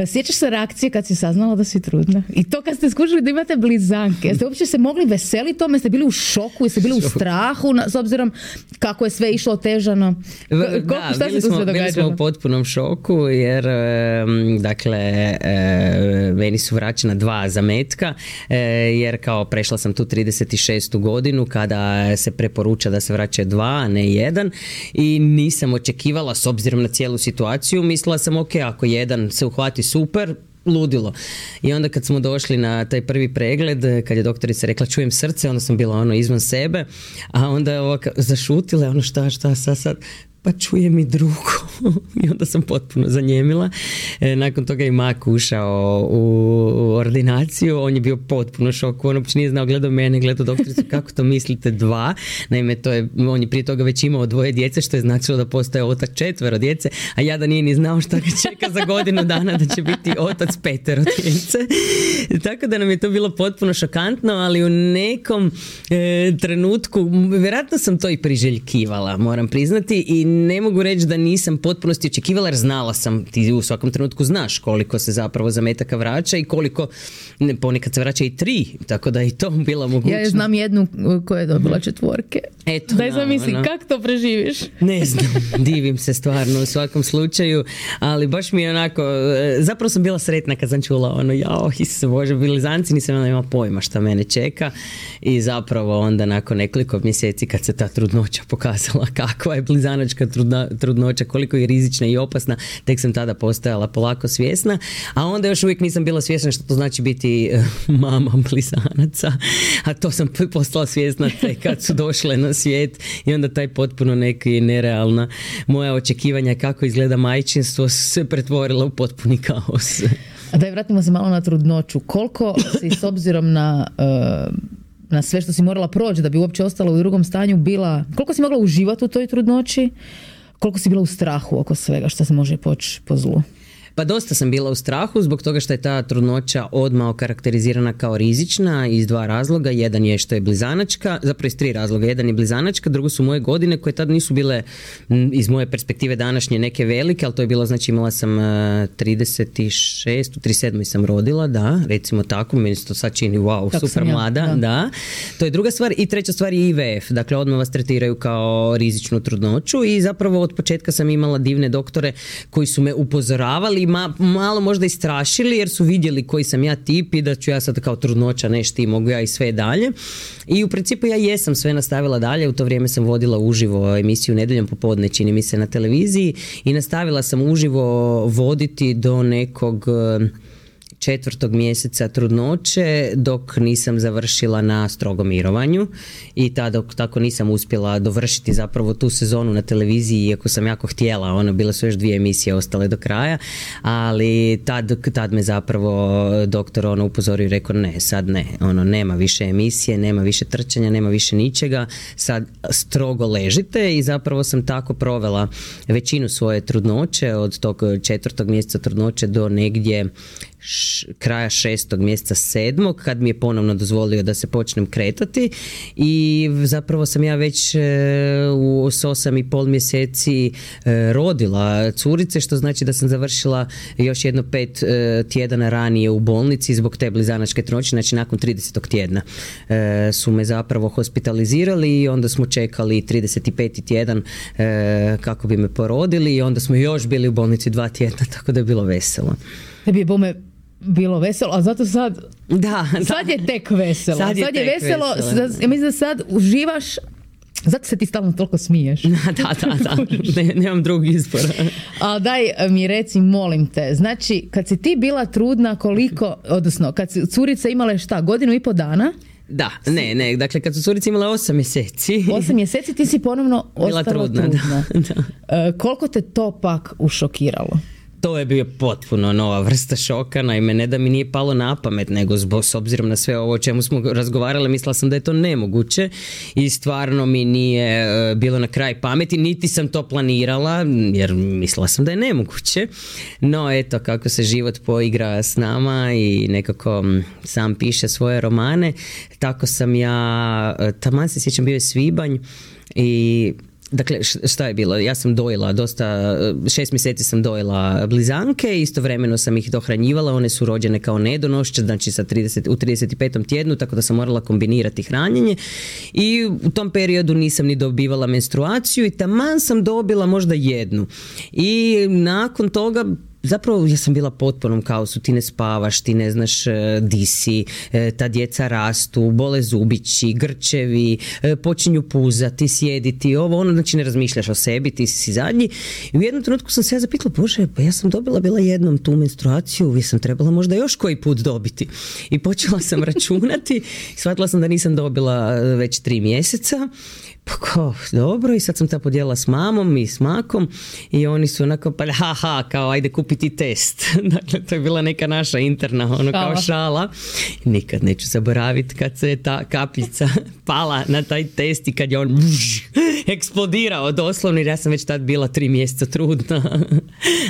Sjećaš se reakcije kad si saznala da si trudna? I to kad ste skušali da imate blizanke. Jeste uopće se mogli veseliti tome? Ste bili u šoku? Jeste bili u strahu na, s obzirom kako je sve išlo otežano? K- da, šta bili, se smo, bili smo u potpunom šoku jer dakle meni su vraćena dva zametka jer kao prešla sam tu trideset šestu godinu kada se preporuča da se vraća dva, a ne jedan, i nisam očekivala s obzirom na cijelu situaciju. Mislila sam ok, ako jedan se uhvati super, ludilo. I onda kad smo došli na taj prvi pregled, kad je doktorica rekla čujem srce, onda sam bila ono izvan sebe, a onda je ovako zašutila, ono šta, šta, sad, sad, pa čujem i drugo. I onda sam potpuno zanjemila. E, nakon toga je Mak ušao u, u ordinaciju, on je bio potpuno šok, on uopće nije znao, gledao mene, gledao doktoricu, kako to mislite dva? Naime, to je, on je prije toga već imao dvoje djece, što je značilo da postoje otac četvero djece, a ja da nije ni znao šta ga čeka za godinu dana da će biti otac petero djece. Tako da nam je to bilo potpuno šokantno, ali u nekom e, trenutku, vjerojatno sam to i priželjkivala, moram priznati, i ne mogu reći da nisam potpunosti očekivala jer znala sam, ti u svakom trenutku znaš koliko se zapravo zametaka vraća i koliko, ponekad se vraća i tri, tako da i to bila mogućnost. Ja znam jednu koja je dobila četvorke. Eto, daj zamisli, no, no. kako to preživiš? Ne znam, divim se stvarno u svakom slučaju, ali baš mi je onako, zapravo sam bila sretna kad sam čula ono, jao, Isuse Bože, blizanci, nisam imala pojma šta mene čeka i zapravo onda nakon nekoliko mjeseci kad se ta trudnoća pokazala kakva je blizanačka trudna, trudnoća, koliko je rizična i opasna, tek sam tada postajala polako svjesna, a onda još uvijek nisam bila svjesna što to znači biti mama blizanaca, a to sam postala svjesna tek kad su došle na svijet i onda taj potpuno neki nerealna moja očekivanja kako izgleda majčinstvo se pretvorila u potpuni kaos. A daj, vratimo se malo na trudnoću. Koliko si s obzirom na, uh, na sve što si morala proći da bi uopće ostala u drugom stanju bila, koliko si mogla uživati u toj trudnoći, koliko si bila u strahu oko svega što se može poći po zlu? Pa dosta sam bila u strahu zbog toga što je ta trudnoća odmah okarakterizirana kao rizična iz dva razloga. Jedan je što je blizanačka, zapravo iz tri razloga. Jedan je blizanačka, drugo su moje godine koje tad nisu bile iz moje perspektive današnje neke velike, ali to je bilo, znači imala sam trideset šest, u trideset sedam sam rodila, da, recimo tako, meni se to sad čini wow, tako super ja, mlada, da. da. To je druga stvar i treća stvar je I V F, dakle odmah vas tretiraju kao rizičnu trudnoću i zapravo od početka sam imala divne doktore koji su me upozoravali, Ma, malo možda i strašili jer su vidjeli koji sam ja tip i da ću ja sad kao trudnoća nešto i mogu ja i sve dalje. I u principu ja jesam sve nastavila dalje, u to vrijeme sam vodila uživo emisiju Nedjeljom popodne, čini mi se, na televiziji i nastavila sam uživo voditi do nekog četvrtog mjeseca trudnoće dok nisam završila na strogom mirovanju i tada tako nisam uspjela dovršiti zapravo tu sezonu na televiziji iako sam jako htjela, ono, bile su još dvije emisije ostale do kraja, ali tad, tad me zapravo doktor ono upozorio i rekao ne, sad ne, ono, nema više emisije, nema više trčanja, nema više ničega, sad strogo ležite i zapravo sam tako provela većinu svoje trudnoće od tog četvrtog mjeseca trudnoće do negdje Š, kraja šestog mjeseca sedmog kad mi je ponovno dozvolio da se počnem kretati i zapravo sam ja već e, u s osam i pol mjeseci e, rodila curice, što znači da sam završila još jedno pet e, tjedana ranije u bolnici zbog te blizanačke trudnoće, znači nakon tridesetog tjedna e, su me zapravo hospitalizirali i onda smo čekali trideset peti tjedan e, kako bi me porodili i onda smo još bili u bolnici dva tjedna, tako da je bilo veselo. Tebi je bome bilo veselo, a zato sad da, sad da. je tek veselo. Sad je, sad je tek veselo, veselo. ja mislim da sad uživaš, zato se ti stalno toliko smiješ. Da, da, da, ne, nemam drugog izbora. Ali daj mi reci, molim te, znači kad si ti bila trudna koliko, odnosno kad si curica imala šta, godinu i po dana? Da, ne, ne, dakle kad su curice imale osam mjeseci. Osam mjeseci ti si ponovno bila ostala trudna. trudna. Da, da. E, koliko te to pak ušokiralo? To je bio potpuno nova vrsta šoka, naime ne da mi nije palo na pamet, nego zbog, s obzirom na sve ovo o čemu smo razgovarali, mislila sam da je to nemoguće i stvarno mi nije uh, bilo na kraj pameti, niti sam to planirala, jer mislila sam da je nemoguće, no eto kako se život poigra s nama i nekako m, sam piše svoje romane, tako sam ja, taman se sjećam, bio je svibanj i dakle, šta je bilo? Ja sam dojela dosta, šest mjeseci sam dojela blizanke, istovremeno sam ih dohranjivala, one su rođene kao nedonošće, znači sa trideset, u trideset petom tjednu, tako da sam morala kombinirati hranjenje i u tom periodu nisam ni dobivala menstruaciju i taman sam dobila možda jednu. I nakon toga zapravo ja sam bila potpunom kaosu, ti ne spavaš, ti ne znaš di si, ta djeca rastu, bole zubići, grčevi, počinju puzati, sjediti, ovo, ono, znači ne razmišljaš o sebi, ti si zadnji. I u jednom trenutku sam se ja zapitala, bože, pa ja sam dobila bila jednom tu menstruaciju, ja sam trebala možda još koji put dobiti. I počela sam računati i shvatila sam da nisam dobila već tri mjeseca. Pa kao, dobro, i sad sam ta podijelila s mamom i s makom i oni su onako, pa haha, kao ajde kupiti test. Dakle, to je bila neka naša interna, ono kao šala. Nikad neću zaboraviti kad se ta kapljica pala na taj test i kad je on buž, eksplodirao doslovno, jer ja sam već tad bila tri mjeseca trudna.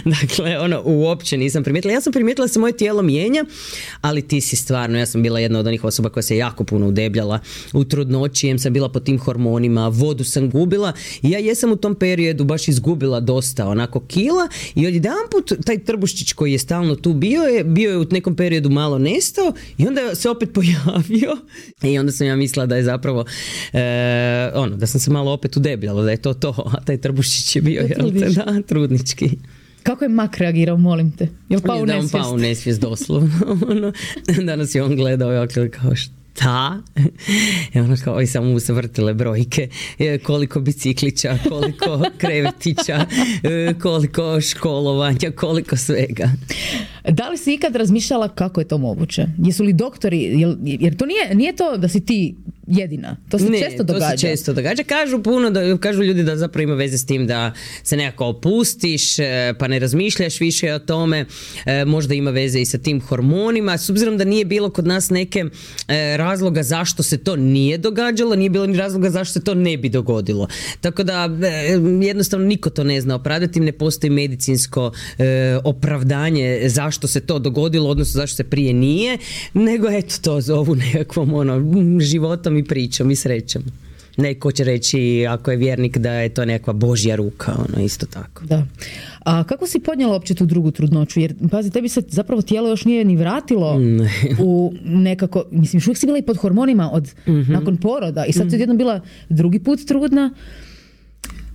Dakle, ono, uopće nisam primijetila. Ja sam primijetila da se moje tijelo mijenja, ali ti si stvarno, ja sam bila jedna od onih osoba koja se jako puno udebljala u trudnoći, jem sam bila po tim hormonima, vodu sam gubila i ja jesam u tom periodu baš izgubila dosta onako kila i odjedanput taj trbuščić koji je stalno tu bio je, bio je u nekom periodu malo nestao i onda se opet pojavio i onda sam ja mislila da je zapravo e, ono, da sam se malo opet udebljala, da je to to, a taj trbuščić je bio, jel te, da, trudnički. Kako je mak reagirao, molim te? Jel pao u nesvijest? Da, on pao u nesvijest, doslovno. Ono, danas je on gledao i kao šta? I ono kao, i samo mu se vrtile brojke, koliko biciklića, koliko krevetića, koliko školovanja, koliko svega. Da li si ikad razmišljala kako je to moguće? Jesu li doktori, jer, jer to nije, nije to da si ti jedina. To se ne, često događa. Ne, to se često događa. Kažu puno, da, kažu ljudi da zapravo ima veze s tim da se nekako opustiš, pa ne razmišljaš više o tome. E, možda ima veze i sa tim hormonima. S obzirom da nije bilo kod nas neke e, razloga zašto se to nije događalo, nije bilo ni razloga zašto se to ne bi dogodilo. Tako da e, jednostavno niko to ne zna opravdati, ne postoji medicinsko e, opravdanje zašto se to dogodilo, odnosno zašto se prije nije, nego eto to zovu nekakvom ono, životom i pričom i srećom. Neko će reći, ako je vjernik, da je to nekakva Božja ruka, ono, isto tako. Da. A kako si podnijela uopće tu drugu trudnoću? Jer, pazi, tebi se zapravo tijelo još nije ni vratilo ne. u nekako, mislim, još uvijek si bila i pod hormonima od, mm-hmm. nakon poroda i sad mm-hmm. si odjednom bila drugi put trudna.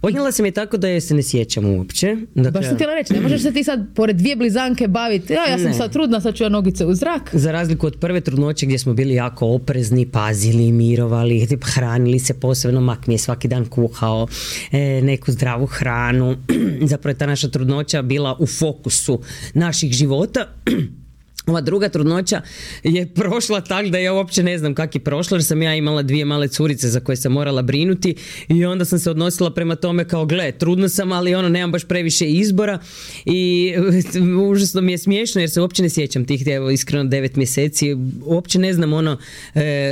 Podnijela sam je tako da je se ne sjećam uopće. Dakle, baš sam htjela reći, ne možeš se ti sad pored dvije blizanke baviti, ja, ja sam ne. sad trudna, sad ću ja nogice u zrak. Za razliku od prve trudnoće gdje smo bili jako oprezni, pazili, mirovali, hranili se posebno, mak mi je svaki dan kuhao e, neku zdravu hranu. Zapravo je ta naša trudnoća bila u fokusu naših života. Ova druga trudnoća je prošla tak da ja uopće ne znam kak je prošla, jer sam ja imala dvije male curice za koje sam morala brinuti i onda sam se odnosila prema tome kao gle, trudna sam, ali ono, nemam baš previše izbora i užasno mi je smiješno jer se uopće ne sjećam tih, evo, iskreno devet mjeseci, uopće ne znam ono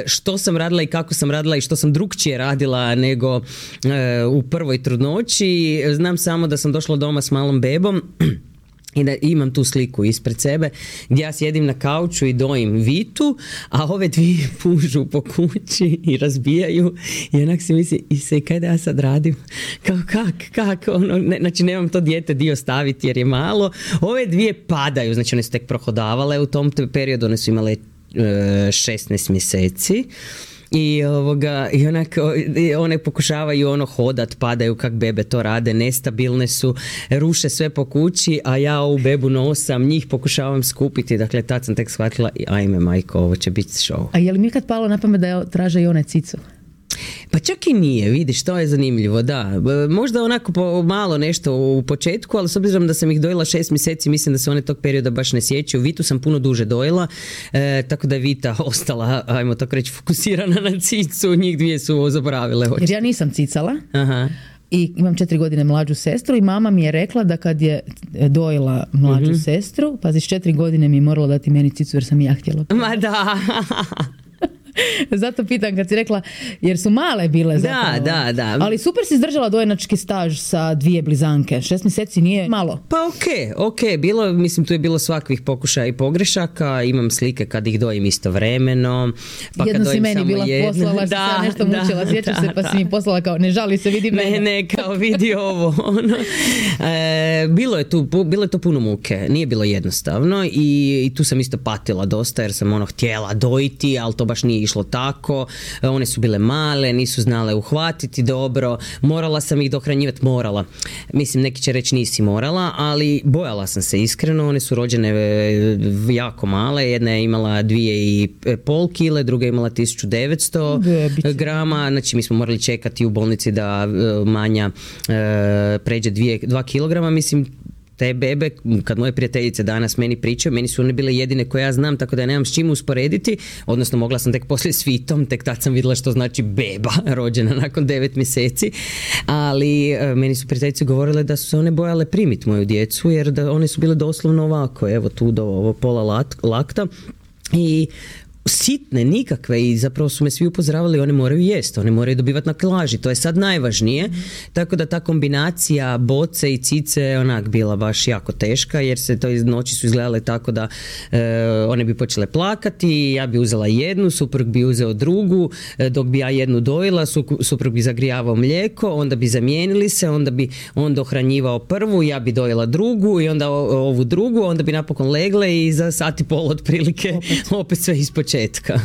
što sam radila i kako sam radila i što sam drukčije radila nego u prvoj trudnoći. Znam samo da sam došla doma s malom bebom i da imam tu sliku ispred sebe gdje ja sjedim na kauču i dojim Vitu, a ove dvije pužu po kući i razbijaju i onak si misli, i se kaj da ja sad radim? Kao kak, kak, ono, ne, znači nemam to dijete dio staviti jer je malo. Ove dvije padaju, znači one su tek prohodavale u tom periodu, one su imale e, šesnaest mjeseci. I, ovoga, i onako, one pokušavaju ono hodat, padaju kak bebe to rade, nestabilne su, ruše sve po kući, a ja ovu bebu nosam, njih pokušavam skupiti, dakle tad sam tek shvatila, ajme majko, ovo će biti show. A je li mi kad palo na pamet da traže i one cicu? Pa čak i nije, vidiš, to je zanimljivo, da. Možda onako po, malo nešto u početku, ali s obzirom da sam ih dojela šest mjeseci, mislim da se one tog perioda baš ne sjećaju. Vitu sam puno duže dojela, e, tako da je Vita ostala, ajmo tako reći, fokusirana na cicu, njih dvije su zaboravile oči. Jer ja nisam cicala. Aha. I imam četiri godine mlađu sestru i mama mi je rekla da kad je dojela mlađu mm-hmm. sestru, pazi, s četiri godine mi je morala dati meni cicu jer sam i ja htjela. Ma da. Zato pitam kad si rekla, jer su male bile zapravo. Da, da, da. Ali super si izdržala dojenački staž sa dvije blizanke. Šest mjeseci nije malo. Pa ok, ok. Bilo, mislim, tu je bilo svakvih pokušaja i pogrešaka. Imam slike kad ih dojim istovremeno. Pa jedno kad si meni bila jedno. poslala, što sam nešto da, mučila. Sjećaš se, pa si mi poslala kao, ne žali se, vidi mene. Ne, ne, kao vidi ovo. Ono. E, bilo, je tu, bilo je to puno muke. Nije bilo jednostavno i, i tu sam isto patila dosta jer sam ono htjela dojiti, ali to baš nije išlo tako, one su bile male, nisu znale uhvatiti dobro, morala sam ih dohranjivati, morala. Mislim, neki će reći nisi morala, ali bojala sam se iskreno, one su rođene jako male, jedna je imala dvije i pol kile, druga je imala tisuću devetsto grama, znači mi smo morali čekati u bolnici da manja pređe dvije, dva kilograma, mislim, te bebe, kad moje prijateljice danas meni pričaju, meni su one bile jedine koje ja znam, tako da ja nemam s čim usporediti, odnosno mogla sam tek poslije s Vitom, tek tad sam vidjela što znači beba rođena nakon devet mjeseci, ali e, meni su prijateljice govorile da su se one bojale primiti moju djecu, jer da one su bile doslovno ovako, evo tu do ovo pola lat, lakta i sitne, nikakve, i zapravo su me svi upozoravali, one moraju jesti, one moraju dobivati na kilaži, to je sad najvažnije. Mm. Tako da ta kombinacija boce i cice onak bila baš jako teška, jer se to iz noći su izgledale tako da e, one bi počele plakati, ja bi uzela jednu, suprug bi uzeo drugu, e, dok bi ja jednu dojila, suprug bi zagrijavao mlijeko, onda bi zamijenili se, onda bi on dohranjivao prvu, ja bi dojela drugu i onda ovu drugu, onda bi napokon legle i za sat i pol otprilike opet, opet sve ispočetka.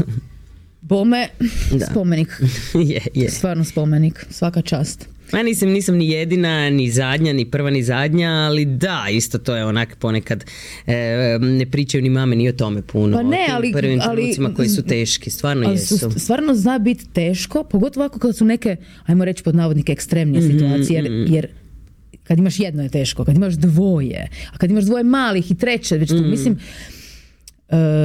Bome, da. Spomenik. je, je. Stvarno spomenik, svaka čast. Ja nisam, nisam ni jedina, ni zadnja, ni prva, ni zadnja, ali da, isto to je onak ponekad e, ne pričaju ni mame ni o tome puno. Pa ne, o tim ali, prvim ali, trenucima koji su teški, stvarno jesu. Stvarno zna biti teško, pogotovo ako kad su neke, ajmo reći pod navodnike, ekstremnije mm-hmm, situacije, jer, jer kad imaš jedno je teško, kad imaš dvoje, a kad imaš dvoje malih i treće, već tu, mm. mislim,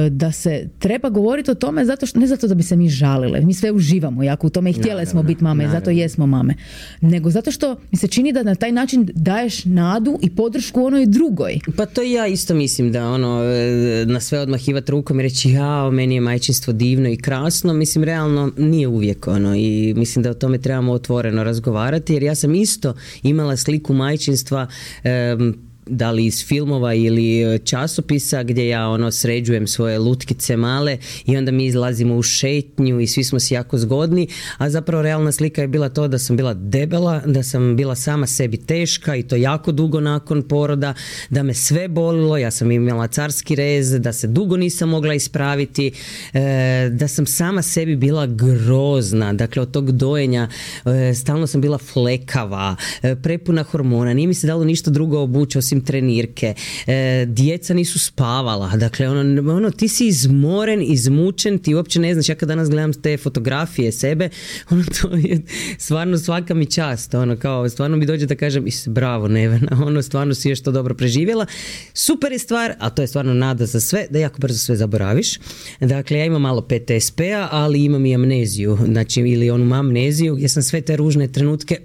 da se treba govoriti o tome zato što, ne zato da bi se mi žalile, mi sve uživamo jako u tome i htjele naravno, smo biti mame naravno. I zato jesmo mame, nego zato što mi se čini da na taj način daješ nadu i podršku onoj drugoj. Pa to ja isto mislim da ono na sve odmahivati rukom i reći ja, meni je majčinstvo divno i krasno, mislim realno nije uvijek ono, i mislim da o tome trebamo otvoreno razgovarati, jer ja sam isto imala sliku majčinstva um, da li iz filmova ili časopisa gdje ja ono sređujem svoje lutkice male i onda mi izlazimo u šetnju i svi smo si jako zgodni, a zapravo realna slika je bila to da sam bila debela, da sam bila sama sebi teška i to jako dugo nakon poroda, da me sve bolilo, ja sam imala carski rez, da se dugo nisam mogla ispraviti, e, da sam sama sebi bila grozna, dakle od tog dojenja e, stalno sam bila flekava, e, prepuna hormona, nije mi se dalo ništa drugo obući osim trenirke, e, djeca nisu spavala, dakle ono, ono ti si izmoren, izmučen, ti uopće ne znaš, ja kad danas gledam te fotografije sebe, ono to je stvarno svaka mi čast, ono kao stvarno mi dođe da kažem bravo Nevena, ono stvarno si još to dobro preživjela, super je stvar, a to je stvarno nada za sve, da jako brzo sve zaboraviš, dakle ja imam malo P T S P-a, ali imam i amneziju, znači ili onu amneziju gdje sam sve te ružne trenutke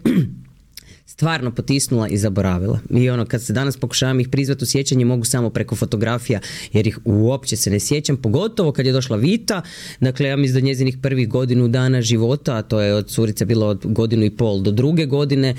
stvarno potisnula i zaboravila. I ono, kad se danas pokušavam ih prizvati u sjećanje, mogu samo preko fotografija, jer ih uopće se ne sjećam, pogotovo kad je došla Vita, dakle ja mislim da njezinih prvih godinu dana života, a to je od curice bilo od godinu i pol do druge godine,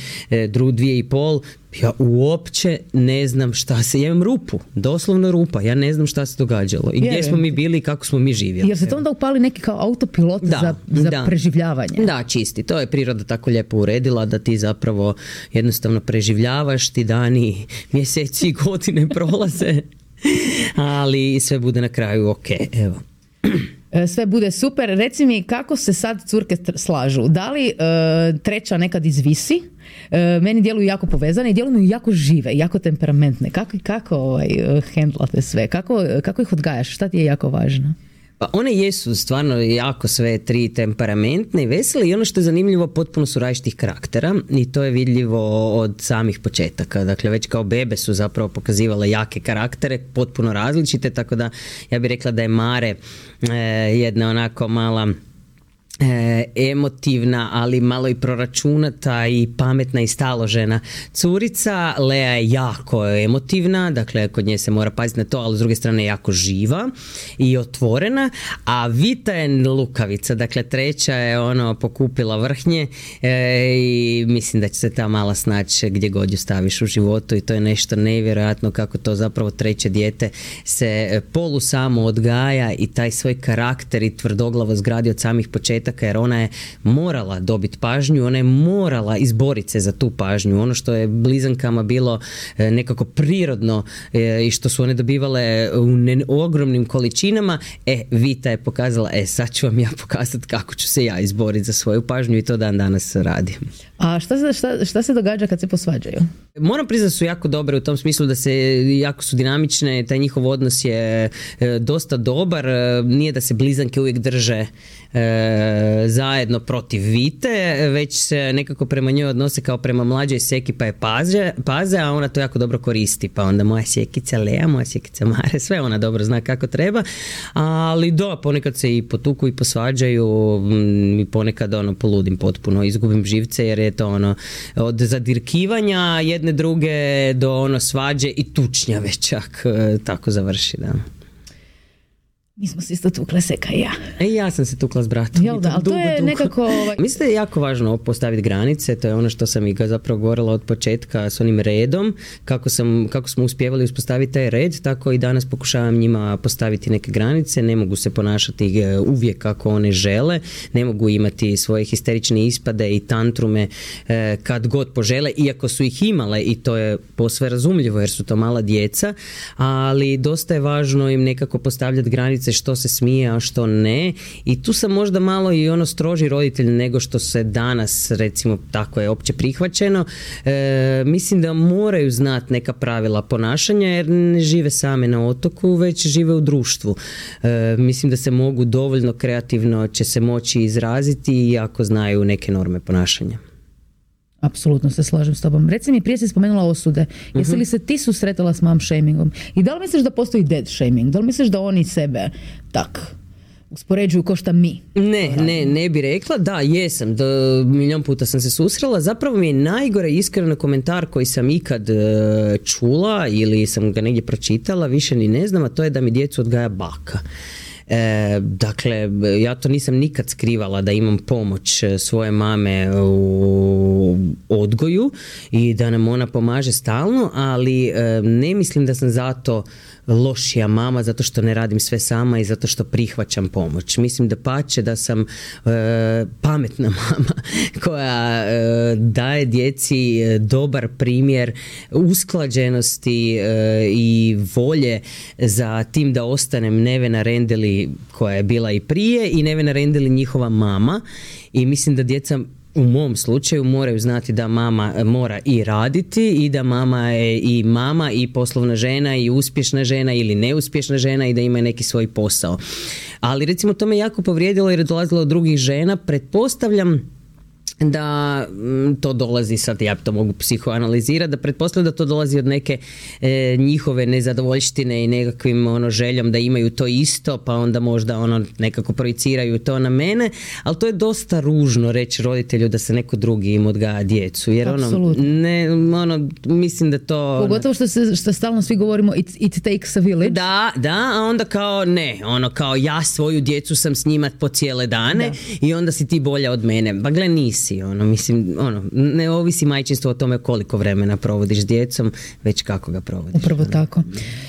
dru, dvije i pol, ja uopće ne znam šta se, ja imam rupu, doslovno rupa, ja ne znam šta se događalo i gdje smo mi bili i kako smo mi živjeli. Jer se to onda upali neki kao autopilot da, za, za da. preživljavanje. Da, čisti, to je priroda tako lijepo uredila da ti zapravo jednostavno preživljavaš, ti dani, mjeseci i godine prolaze, ali sve bude na kraju ok, evo. Sve bude super. Reci mi kako se sad curke slažu. Da li e, treća nekad izvisi? E, meni djeluju jako povezane i djeluju jako žive, jako temperamentne. Kako, kako ovaj, hendlate sve? Kako, kako ih odgajaš? Šta ti je jako važno? Pa one jesu stvarno jako sve tri temperamentne i vesele i ono što je zanimljivo, potpuno su različitih karaktera i to je vidljivo od samih početaka. Dakle, već kao bebe su zapravo pokazivale jake karaktere, potpuno različite, tako da ja bih rekla da je Mare eh, jedna onako mala E, emotivna, ali malo i proračunata i pametna i staložena curica. Lea je jako emotivna, dakle kod nje se mora paziti na to, ali s druge strane je jako živa i otvorena, a Vita je lukavica, dakle treća je ono pokupila vrhnje e, i mislim da će se ta mala snaći gdje god ju staviš u životu i to je nešto nevjerojatno kako to zapravo treće dijete se polu samo odgaja i taj svoj karakter i tvrdoglavo zgradi od samih početaka, jer ona je morala dobiti pažnju, ona je morala izboriti se za tu pažnju. Ono što je blizankama bilo nekako prirodno i što su one dobivale u, ne, u ogromnim količinama, e, Vita je pokazala, e, sad ću vam ja pokazati kako ću se ja izboriti za svoju pažnju i to dan danas radim. A šta se, šta, šta se događa kad se posvađaju? Moram priznati da su jako dobre u tom smislu da se jako su dinamične, taj njihov odnos je e, dosta dobar, e, nije da se blizanke uvijek drže e, zajedno protiv Vite, već se nekako prema njoj odnose kao prema mlađoj seki pa je paze, paze, a ona to jako dobro koristi, pa onda moja sjekica Lea, moja sjekica Mare, sve ona dobro zna kako treba, ali da, ponekad se i potuku i posvađaju i ponekad ono poludim potpuno, izgubim živce jer je to ono od zadirkivanja jedne druge do ono svađe i tučnjave čak tako završi, da. Mi smo se isto tukle, Seka i ja. E, ja sam se tukla s bratom. Jel da, ali to je dugo. Nekako... Ovaj... Mislim da je jako važno postaviti granice, to je ono što sam i zapravo govorila od početka s onim redom, kako, sam, kako smo uspjevali uspostaviti taj red, tako i danas pokušavam njima postaviti neke granice, ne mogu se ponašati uvijek kako one žele, ne mogu imati svoje histerične ispade i tantrume eh, kad god požele, iako su ih imale i to je posve razumljivo jer su to mala djeca, ali dosta je važno im nekako postavljati granice što se smije, a što ne. I tu sam možda malo i ono stroži roditelj nego što se danas, recimo, tako je opće prihvaćeno. E, mislim da moraju znati neka pravila ponašanja jer ne žive same na otoku, već žive u društvu. E, mislim da se mogu dovoljno kreativno će se moći izraziti ako znaju neke norme ponašanja. Apsolutno se slažem s tobom. Reci mi, prije si spomenula osude. Jesi li se ti susretala s mom shamingom? I da li misliš da postoji dad shaming? Da li misliš da oni sebe tak uspoređuju ko šta mi? Ne, ne, ne bi rekla. Da, jesam. Da, milijon puta sam se susrela. Zapravo mi je najgore iskreno komentar koji sam ikad uh, čula ili sam ga negdje pročitala, više ni ne znam, a to je da mi djecu odgaja baka. E, dakle, ja to nisam nikad skrivala da imam pomoć svoje mame u odgoju i da nam ona pomaže stalno, ali e, ne mislim da sam zato lošija mama zato što ne radim sve sama i zato što prihvaćam pomoć. Mislim da pače da sam e, pametna mama koja e, daje djeci dobar primjer usklađenosti e, i volje za tim da ostanem Nevena Rendeli koja je bila i prije i Nevena Rendeli njihova mama i mislim da djeca u mom slučaju moraju znati da mama mora i raditi i da mama je i mama i poslovna žena i uspješna žena ili neuspješna žena i da ima neki svoj posao. Ali recimo to me jako povrijedilo jer je dolazilo od drugih žena. Pretpostavljam da to dolazi, sad ja to mogu psihoanalizirati, da pretpostavljam da to dolazi od neke e, njihove nezadovoljštine i nekakvim ono željom da imaju to isto, pa onda možda ono nekako projiciraju to na mene, ali to je dosta ružno reći roditelju da se neko drugi im odgaja djecu, jer ono, ne, ono, mislim da to... Pogotovo što, se, što stalno svi govorimo it, it takes a village. Da, da, a onda kao ne, ono kao ja svoju djecu sam s njima po cijele dane da. I onda si ti bolja od mene. Pa gle, nisi. Ono, mislim, ono, ne ovisi majčinstvo o tome koliko vremena provodiš s djecom, već kako ga provodiš. Upravo tako.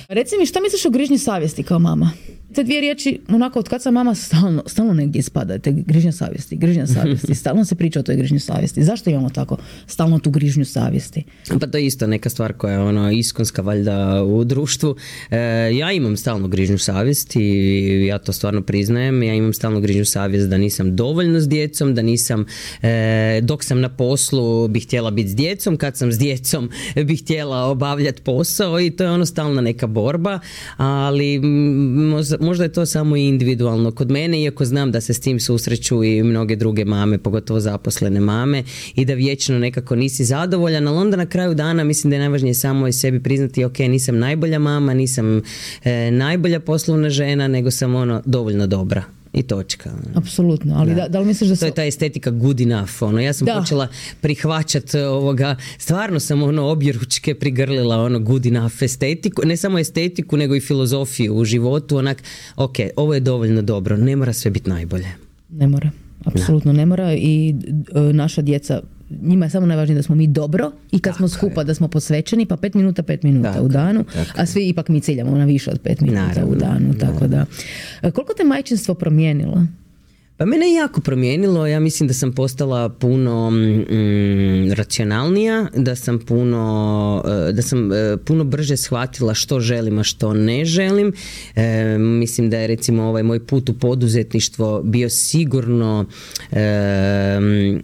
Reci mi, šta misliš o grižnji savjesti kao mama? Te dvije riječi, onako, od kad sam mama, stalno, stalno negdje ispada, te grižnja savjesti, grižnja savjesti, stalno se priča o toj grižnji savjesti. Zašto imamo tako stalno tu grižnju savjesti? Pa to je isto neka stvar koja je ono iskonska valjda u društvu. E, ja imam stalno grižnju savjesti i ja to stvarno priznajem. Ja imam stalno grižnju savjest da nisam dovoljno s djecom, da nisam, e, dok sam na poslu bih htjela biti s djecom, kad sam s djecom bih htjela obavljati posao i to je ono stalna neka borba, ali možda možda je to samo individualno kod mene, iako znam da se s tim susreću i mnoge druge mame, pogotovo zaposlene mame, i da vječno nekako nisi zadovoljan, ali onda na kraju dana mislim da je najvažnije samo i sebi priznati, ok, nisam najbolja mama, nisam e, najbolja poslovna žena, nego sam ono dovoljno dobra. I točka. Apsolutno, ali da, da li misliš da to je ta estetika good enough, ono, ja sam da. počela prihvaćati ovoga, stvarno sam ono objeručke prigrlila ono good enough estetiku, ne samo estetiku nego i filozofiju u životu, onak, ok, ovo je dovoljno dobro, ne mora sve biti najbolje. Ne mora, apsolutno ne mora i e, naša djeca, njima je samo najvažnije da smo mi dobro i kad tako smo skupa je. Da smo posvećeni, pa pet minuta, pet minuta tako, u danu, a svi ipak mi ciljamo na više od pet minuta naravno, u danu. Tako da. Koliko te majčinstvo promijenilo? Pa mene je jako promijenilo, ja mislim da sam postala puno mm, racionalnija, da sam puno, da sam puno brže shvatila što želim, a što ne želim. E, mislim da je recimo ovaj moj put u poduzetništvo bio sigurno e,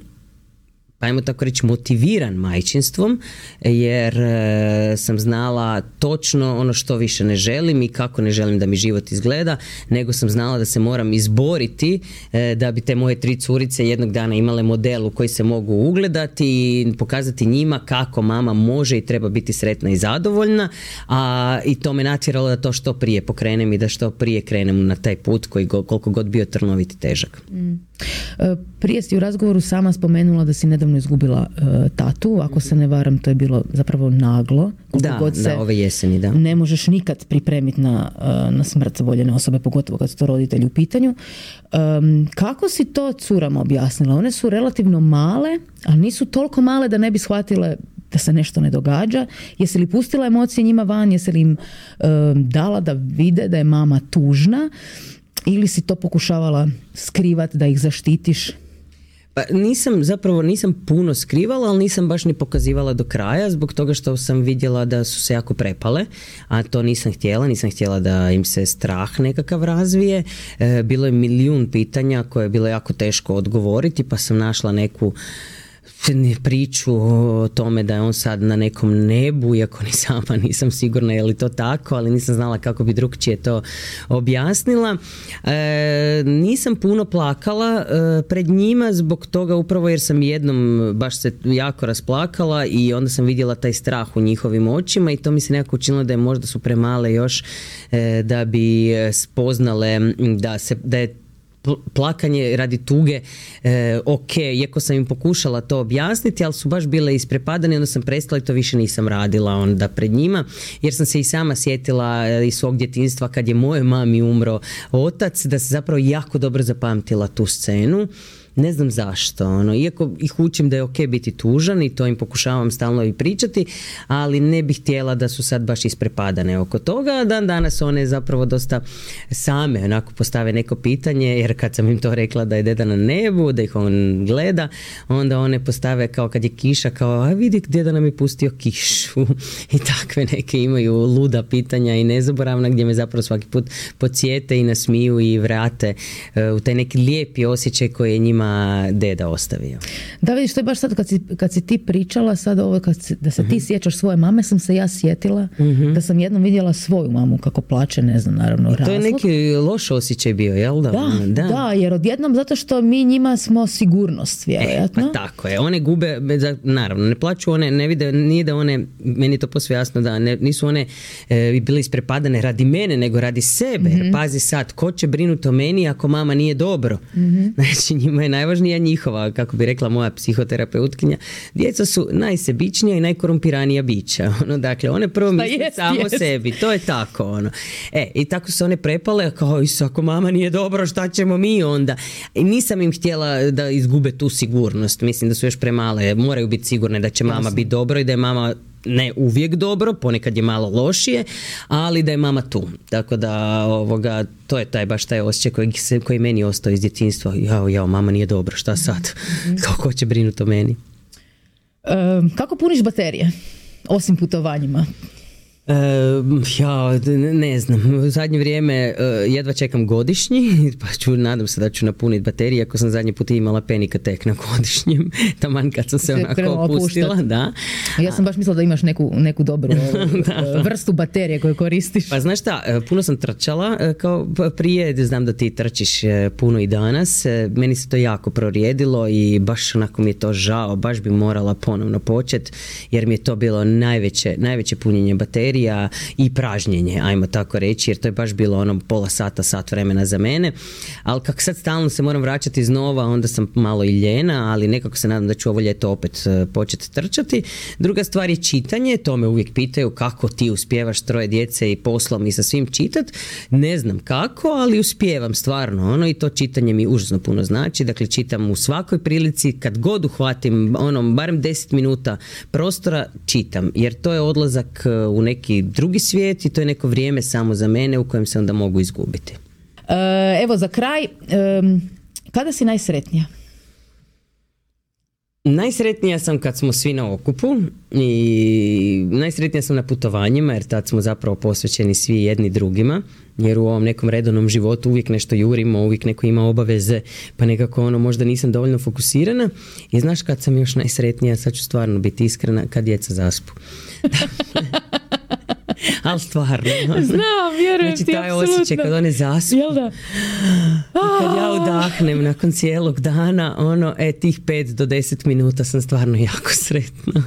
pa ajmo tako reći motiviran majčinstvom, jer e, sam znala točno ono što više ne želim i kako ne želim da mi život izgleda, nego sam znala da se moram izboriti e, da bi te moje tri curice jednog dana imale model u koji se mogu ugledati i pokazati njima kako mama može i treba biti sretna i zadovoljna, a i to me natjeralo da to što prije pokrenem i da što prije krenem na taj put koji go, koliko god bio trnovit i težak. Mm. Prije si u razgovoru sama spomenula da si nedavno izgubila uh, tatu, ako se ne varam to je bilo zapravo naglo. Da, god se da, ove jeseni, da. Ne možeš nikad pripremiti na, uh, na smrt voljene osobe, pogotovo kad su to roditelji u pitanju. Um, kako si to curama objasnila? One su relativno male, ali nisu toliko male da ne bi shvatile da se nešto ne događa. Jesi li pustila emocije njima van? Jesi li im um, dala da vide da je mama tužna? Ili si to pokušavala skrivati da ih zaštitiš? Pa nisam, zapravo nisam puno skrivala, ali nisam baš ni pokazivala do kraja zbog toga što sam vidjela da su se jako prepale, a to nisam htjela, nisam htjela da im se strah nekakav razvije. E, bilo je milijun pitanja koje je bilo jako teško odgovoriti, pa sam našla neku priču o tome da je on sad na nekom nebu, iako ni sama nisam sigurna je li to tako, ali nisam znala kako bi drugčije to objasnila. E, nisam puno plakala e, pred njima zbog toga upravo jer sam jednom baš se jako rasplakala i onda sam vidjela taj strah u njihovim očima i to mi se nekako učinilo da je možda su premale još e, da bi spoznale da, se, da je plakanje radi tuge, e, ok, iako sam im pokušala to objasniti, ali su baš bile isprepadane, onda sam prestala i to više nisam radila onda pred njima, jer sam se i sama sjetila iz svog djetinjstva kad je moje mami umro otac, da se zapravo jako dobro zapamtila tu scenu. Ne znam zašto, ono, iako ih učim da je ok biti tužan i to im pokušavam stalno i pričati, ali ne bih htjela da su sad baš isprepadane oko toga. Dan danas one zapravo dosta same onako postave neko pitanje, jer kad sam im to rekla da je deda na nebu, da ih on gleda, onda one postave kao kad je kiša, kao a vidi deda nam je pustio kišu i takve neke imaju luda pitanja i nezaboravna gdje me zapravo svaki put podsjete i nasmiju i vrate uh, u taj neki lijepi osjećaj koji je njima deda ostavio. Da, vidiš, to je baš sad kad si, kad si ti pričala sad ovo, kad si, da se uh-huh. ti sjećaš svoje mame, sam se ja sjetila uh-huh. da sam jednom vidjela svoju mamu kako plače, ne znam, naravno razlog. To je neki loš osjećaj bio, jel da? Da, da, da, jer odjednom zato što mi njima smo sigurnost, vjerojatno. E, pa tako je, one gube, naravno, ne plaću one, ne vide, nije da one, meni je to posve jasno da ne, nisu one e, bile isprepadane radi mene, nego radi sebe, uh-huh. jer pazi sad, ko će brinuti o meni ako mama nije dobro? Uh-huh. Znači, njima je najvažnija njihova, kako bi rekla moja psihoterapeutkinja, djeca su najsebičnija i najkorumpiranija bića. Ono, dakle, one prvo misle samo jest. sebi. To je tako. Ono. E, i tako su one prepale, kao, isu, ako mama nije dobro, šta ćemo mi onda? I nisam im htjela da izgube tu sigurnost. Mislim da su još premale. Moraju biti sigurne da će mama Jasne. biti dobro i da je mama ne uvijek dobro, ponekad je malo lošije, ali da je mama tu. Tako da ovoga, to je taj baš taj osjećaj koji, se, koji meni ostao iz djetinjstva. Jao, jao, mama nije dobro, šta sad? Mm-hmm. Kako će brinuti o meni? Um, kako puniš baterije? Osim putovanjima? Uh, ja ne znam, u zadnje vrijeme uh, jedva čekam godišnji, pa ću, nadam se da ću napuniti baterije, ako sam zadnji put imala Panic Attack na godišnjem, taman kad sam se, se onako opustila. Da. Ja sam baš mislila da imaš neku, neku dobru da, vrstu baterije koju koristiš. Pa znaš šta, puno sam trčala kao prije, znam da ti trčiš puno i danas, meni se to jako prorijedilo i baš onako mi je to žao, baš bi morala ponovno početi, jer mi je to bilo najveće, najveće punjenje baterije i pražnjenje, ajmo tako reći, jer to je baš bilo ono pola sata, sat vremena za mene, ali kako sad stalno se moram vraćati iznova, onda sam malo i ljena, ali nekako se nadam da ću ovo ljeto opet početi trčati. Druga stvar je čitanje, to me uvijek pitaju kako ti uspijevaš troje djece i poslom i sa svim čitat, ne znam kako, ali uspijevam stvarno, ono, i to čitanje mi užasno puno znači, dakle čitam u svakoj prilici, kad god uhvatim, ono, barem deset minuta prostora čitam, jer to je odlazak u neki drugi svijet i to je neko vrijeme samo za mene u kojem se onda mogu izgubiti. E, evo za kraj, e, kada si najsretnija? Najsretnija sam kad smo svi na okupu i najsretnija sam na putovanjima, jer tad smo zapravo posvećeni svi jedni drugima, jer u ovom nekom redovnom životu uvijek nešto jurimo, uvijek neko ima obaveze, pa nekako ono možda nisam dovoljno fokusirana. I znaš kad sam još najsretnija, sad ću stvarno biti iskrena, kad djeca zaspu. Ali stvarno. Znam, vjerujem znači, ti, taj apsolutno. osjećaj kad one zaspu. Jel da? I kad ja udahnem nakon cijelog dana, ono, e, tih pet do deset minuta sam stvarno jako sretna.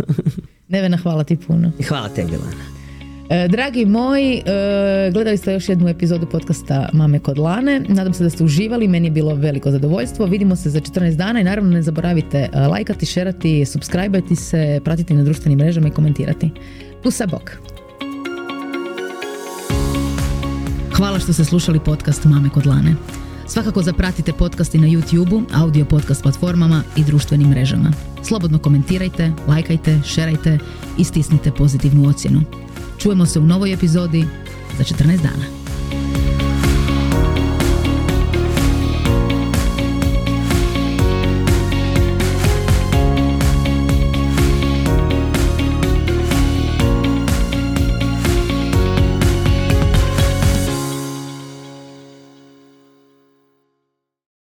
Nevena, hvala ti puno. Hvala tebi, Lana. Dragi moji, gledali ste još jednu epizodu podcasta Mame kod Lane. Nadam se da ste uživali, meni je bilo veliko zadovoljstvo. Vidimo se za četrnaest dana i naravno ne zaboravite lajkati, šerati, subscribe-ati se, pratiti na društvenim mrežama i komentirati. Pusa bok! Hvala što ste slušali podcast Mame kod Lane. Svakako zapratite podcasti na YouTube-u, audio podcast platformama i društvenim mrežama. Slobodno komentirajte, lajkajte, šerajte i stisnite pozitivnu ocjenu. Čujemo se u novoj epizodi za četrnaest dana.